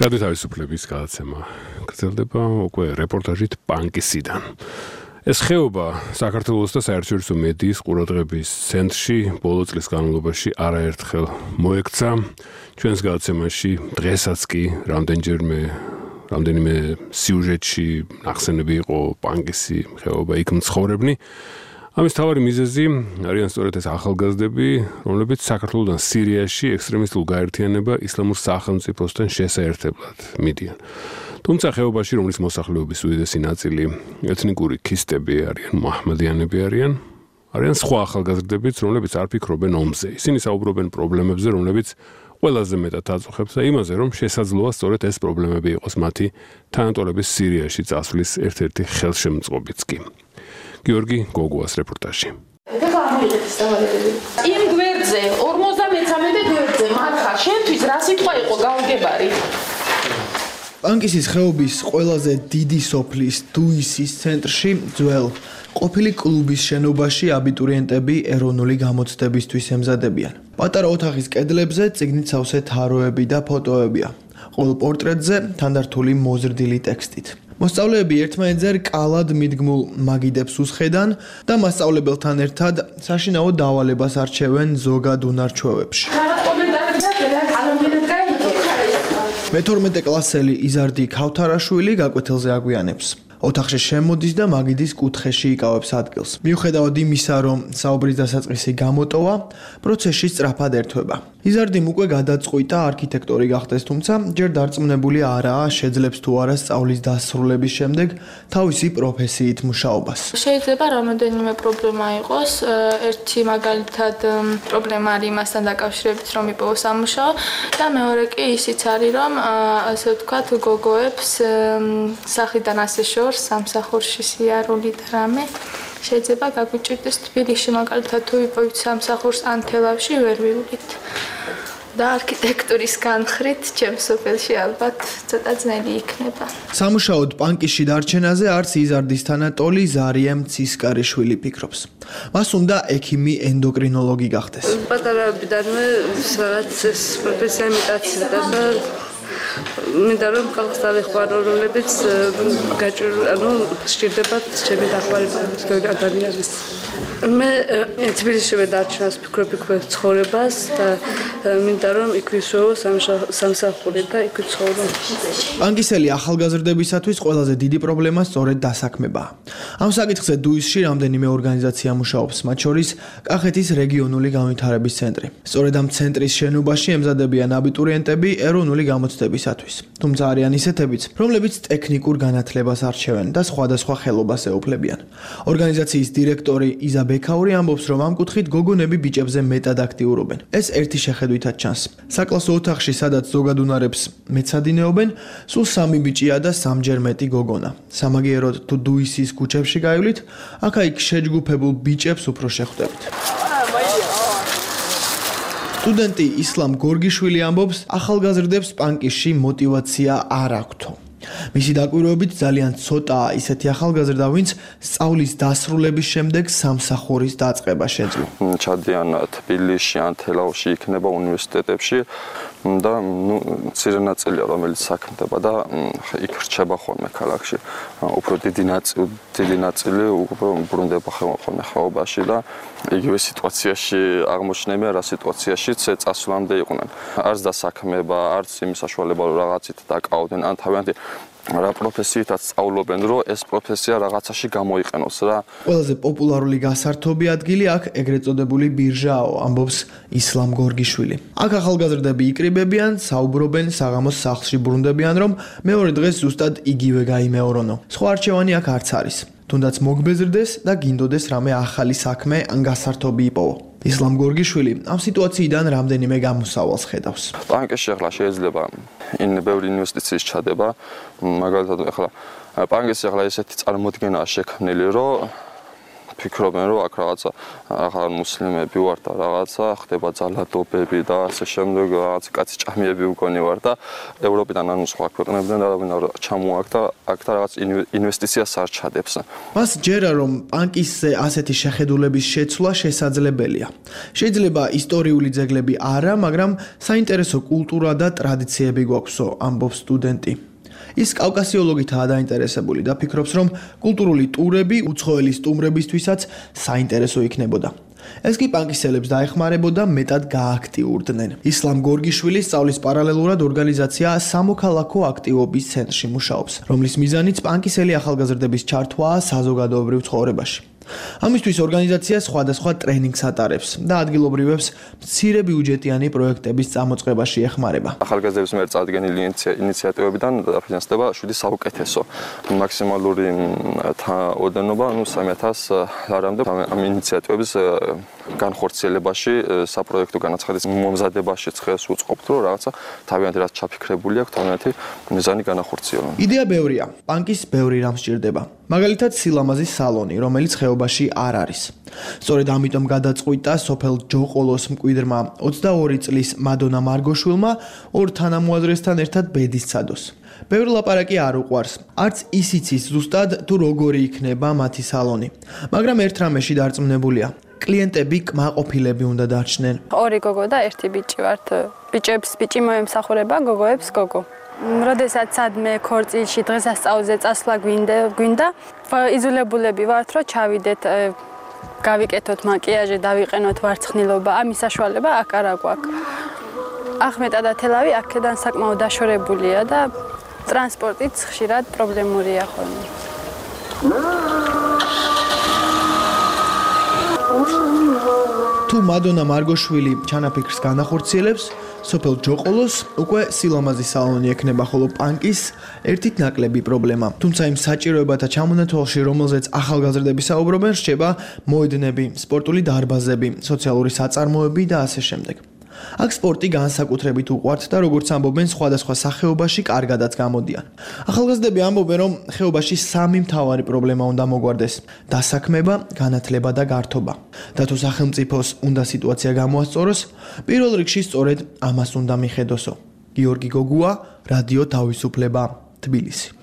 რადიო თავისუფლების გადაცემა გრძელდება უკვე რეპორტაჟით პანკისიდან. ეს ხეობა საქართველოს და საერთაშორისო მედიის ყურადღების ცენტრში ბოლო წლის განმავლობაში არაერთხელ მოექცა. ჩვენს გადაცემაში დღესაც კი რამდენჯერმე რამდენიმე სიუჟეტში ნახსენები იყო პანკისი ხეობა, იქ მცხოვრებნი. ამის თავარი მიზეზი არიან სწორედ ეს ახალგაზრდები, რომლებიც საქართველოდან სირიაში ექსტრემისტულ გაერთიანება ისლამურ სახელმწიფოსთან შესაერთებლად მიდიან. თუმცა ხეობაში, რომლის მოსახლეობის უდიდესი ნაწილი ეთნიკური ქისტები არიან, მუჰამადიანები არიან, არიან სხვა ახალგაზრდებიც, რომლებიც არ ფიქრობენ ომზე. ისინი საუბრობენ პრობლემებზე, რომლებიც ყველაზე მეტად აწუხებს და იმაზე, რომ შესაძლოა სწორედ ეს პრობლემები იყოს მათი თანატოლების სირიაში წასვლის ერთ-ერთი ხელშემწყობიც კი. გიორგი გოგუას რეპორტაჟი. იმ გვერდზე ორმოცდამეცამეტე გვერდზე მარხა შენთვის რა სიტყვა იყო გაუგებარი? პანკისის ხეობის ყველაზე დიდი სოფლის დუისის ცენტრში ძველ ყოფილი კლუბის შენობაში აბიტურიენტები ეროვნული გამოცდებისთვის ემზადებიან. პატარა ოთახის კედლებზე წიგნით სავსე თაროები და ფოტოებია. ყოველ პორტრეტზე თანდართული მოზრდილი ტექსტით. მოსწავლეები ერთმანეთზე რკალად მიდგმულ მაგიდებს უსხედან და მასწავლებელთან ერთად საშინაო დავალებას არჩევენ ზოგად უნარჩვევებში. მეთორმეტე კლასელი იზარდი ქავთარაშვილი გაკვეთილზე აგვიანებს. ოთახში შემოდის და მაგიდის კუთხეში იკავებს ადგილს. მიუხედავად იმისა, რომ საუბრის დასაწყისი გამოტოვა, პროცესში სწრაფად ერთვება. იზარდიმ უკვე გადაწყვიტა არქიტექტორი გახდეს, თუმცა ჯერ დარწმუნებული არაა, შეძლებს თუ არა სწავლის დასრულების შემდეგ თავისი პროფესიით მუშაობას. შეიძლება რამოდენიმე პრობლემა იყოს. ერთი მაგალითად პრობლემა არის იმასთან დაკავშირებით, რომ იპოვო სამუშაო და მეორე კი ისიც არის, რომ ასე ვთქვათ, გოგოებს სახლიდან ასე შორს სამსახურში სიარული და რამე შეიძლება გაგვიჭირდეს თბილისში მაგალითად თუ ვიპოვით სამსახურს ან თელავში ვერ ვივლით. და არქიტექტურის განხრით ჩემს სოფელში ალბათ ცოტა ძნელი იქნება. სამუშაოდ პანკისში დარჩენაზე არც იზარდის თანატოლი ზარიე მცისკარიშვილი ფიქრობს. მას უნდა ექიმი ენდოკრინოლოგი გახდეს. პატარაობიდანვე რაღაც ეს პროფესია მეტაცილდა და მინდა რომ ხალხს დავეხმარო, რომლებიც გაჭირ ანუ სჭირდებათ ჩემი დახმარება ადამიანის. მე თბილისში ვედარჩენას ფიქრობ იქ ცხოვრებას და მინდა რომ იქ ვისვეო სამსახური და იქ ვცხოვრო. პანკისელი ახალგაზრდებისათვის ყველაზე დიდი პრობლემა სწორედ დასაქმებაა. ამ საკითხზე დუისში რამდენიმე ორგანიზაცია მუშაობს, მათ შორის კახეთის რეგიონული განვითარების ცენტრი. სწორედ ამ ცენტრის შენობაში ემზადებიან აბიტურიენტები ეროვნული გამოცდებისათვის. თუმცა არიან ისეთებიც, რომლებიც ტექნიკურ განათლებას არჩევენ და სხვადასხვა ხელობას ეუფლებიან. ორგანიზაციის დირექტორი იზა ბექაური ამბობს, რომ ამ კუთხით გოგონები ბიჭებზე მეტად აქტიურობენ. ეს ერთი შეხედვითაც ჩანს. საკლასო ოთახში, სადაც ზოგად უნარებს მეცადინეობენ, სულ სამი ბიჭია და სამჯერ მეტი გოგონა. სამაგიეროდ თუ დუისის ქუჩებში გაივლით, აქა-იქ შეჯგუფებულ ბიჭებს უფრო შეხვდებით. სტუდენტი ისლამ გორგიშვილი ამბობს, ახალგაზრდებს პანკისში мотиваცია არ აქვთ. მისი დაკვირვებით ძალიან ცოტაა ისეთი ახალგაზრდა, ვინც სწავლის დასრულების შემდეგ სამსახურის დაწყება შეძლო. ჩადიან თბილისში ან თელავში იქნება უნივერსიტეტებში და ნუ მცირე ნაწილია რომელიც საქმდება და იქ რჩება ხოლმე ქალაქში. უფრო დიდი ნაწილი დიდი ნაწილი უბრუნდება ხოლმე ხეობაში და იგივე სიტუაციაში აღმოჩნდნენ რა სიტუაციაშიც წასვლამდე იყვნენ. არც დასაქმება, არც იმ საშუალება რომ რაღაცით დაკავდნენ ან თავიანთი რა პროფესიითაც სწავლობენ, რომ ეს პროფესია რაღაცაში გამოიყენოს რა. ყველაზე პოპულარული გასართობი ადგილი აქ ეგრეთ წოდებული ბირჟაო, ამბობს ისლამ გორგიშვილი. აქ ახალგაზრდები იკრიბებიან, საუბრობენ, საღამოს სახლში ბრუნდებიან, რომ მეორე დღეს ზუსტად იგივე გაიმეორონო. სხვა არჩევანი აქ არც არის. თუნდაც მოგბეზრდეს და გინდოდეს რამე ახალი საქმე ან გასართობი იპოვო. ისლამ გორგიშვილი ამ სიტუაციიდან რამდენიმე გამოსავალს ხედავს. ბანკში ახლა შეიძლება იმ ბევრი ინვესტიციის ჩადება, მაგალითად ახლა ბანკში ახლა ესეთი წარმოდგენაა შექმნილი, რომ ფიქრობენ რომ აქ რაღაცა ახლა მუსლიმები ვარ და რაღაცა ხდება ძალადობები და ასე შემდეგ რაღაც კაცი ჭამიები უგონი ვარ და ევროპიდან ანუ სხვა ქვეყნებიდან და ჩამოაგდა აქ და რაღაც ინვესტიციას არ ჩადებს. მას ჯერა რომ ბანკისზე ასეთი შეხედულების შეცვლა შესაძლებელია. შეიძლება ისტორიული ძეგლები არა, მაგრამ საინტერესო კულტურა და ტრადიციები გვაქვსო, ამბობს სტუდენტი. ის კავკასიოლოგითაა დაინტერესებული და ფიქრობს, რომ კულტურული ტურები უცხოელი სტუმრებისთვისაც საინტერესო იქნებოდა. ეს კი პანკისელებს დაეხმარებოდა მეტად გააქტიურდნენ. ისლამ გორგიშვილი სწავლის პარალელურად ორგანიზაცია სამოქალაქო აქტივობის ცენტრში მუშაობს, რომლის მიზანიც პანკისელი ახალგაზრდების ჩართვაა საზოგადოებრივ ცხოვრებაში. ამისთვის ორგანიზაცია სხვადასხვა ტრენინგს ატარებს და ადგილობრივებს მცირე ბიუჯეტიანი პროექტების წამოწყებაში ეხმარება. ახალგაზრდების მიერ წარდგენილი ინიციატივებიდან დაფინანსდება შვიდი საუკეთესო. მაქსიმალური ოდენობა, ну სამი ათას არამდე ამ ინიციატივების განხორციელებაში, საპროექტო განაცხადის მომზადებაშიც ხელს უწყობთ, რომ რაღაცა თავიანთი რაც ჩაფიქრებული აქვს, თავიანთი მიზანი განახორციელონ. იდეა ბევრია, პანკის ბევრი რამ სჭირდება. მაგალითად, სილამაზის სალონი, რომელიც ხეობაში არ არის. სწორედ ამიტომ გადაწყვიტა სოფელ ჯოყოლოს მკვიდრმა ოცდაორი წლის მადონა მარგოშვილმა ორ თანამოაზრესთან ერთად ბედის ცადოს. ბევრი ლაპარაკი არ უყვარს, არც ის იცის ზუსტად თუ როგორი იქნება მათი სალონი, მაგრამ ერთ რამეში დარწმუნებულია. კლიენტები კმაყოფილები უნდა დარჩნენ. ორი გოგო და ერთი ბიჭი ვართ. ბიჭებს ბიჭი მოემსახურება, გოგოებს გოგო. როდესაც სადმე ქორწილში დღესასწაულზე წასვლა გვინდა, გვინდა, იზოლებულები ვართ, რომ ჩავიდეთ, გავიკეთოთ მაკიაჟი, დავიყენოთ ვარცხნილობა, ამის საშუალება აქ არ აქვს. ახმეტა და თელავი აქედან საკმაოდ დაშორებულია და ტრანსპორტიც ხშირად პრობლემურია ხოლმე. თუ მადონა მარგოშვილი ჩანაფიქრს განახორციელებს, სოფელ ჯოყოლოს უკვე სილამაზის სალონი ექნება, ხოლო პანკის ერთით ნაკლები პრობლემა. თუმცა იმ საჭიროებათა ჩამონათვალში, რომელზეც ახალგაზრდები საუბრობენ, რჩება მოედნები, სპორტული დარბაზები, სოციალური საწარმოები და ასე შემდეგ. აქ სპორტი განსაკუთრებით უყვართ და როგორც ამბობენ, სხვადასხვა სახეობაში კარგადაც გამოდიან. ახალგაზრდები ამბობენ, რომ ხეობაში სამი მთავარი პრობლემა უნდა მოგვარდეს: დასაქმება, განათლება და გართობა. და თუ სახელმწიფოს უნდა სიტუაცია გამოასწოროს, პირველ რიგში სწორედ ამას უნდა მიხედოსო. გიორგი გოგუა, რადიო თავისუფლება, თბილისი.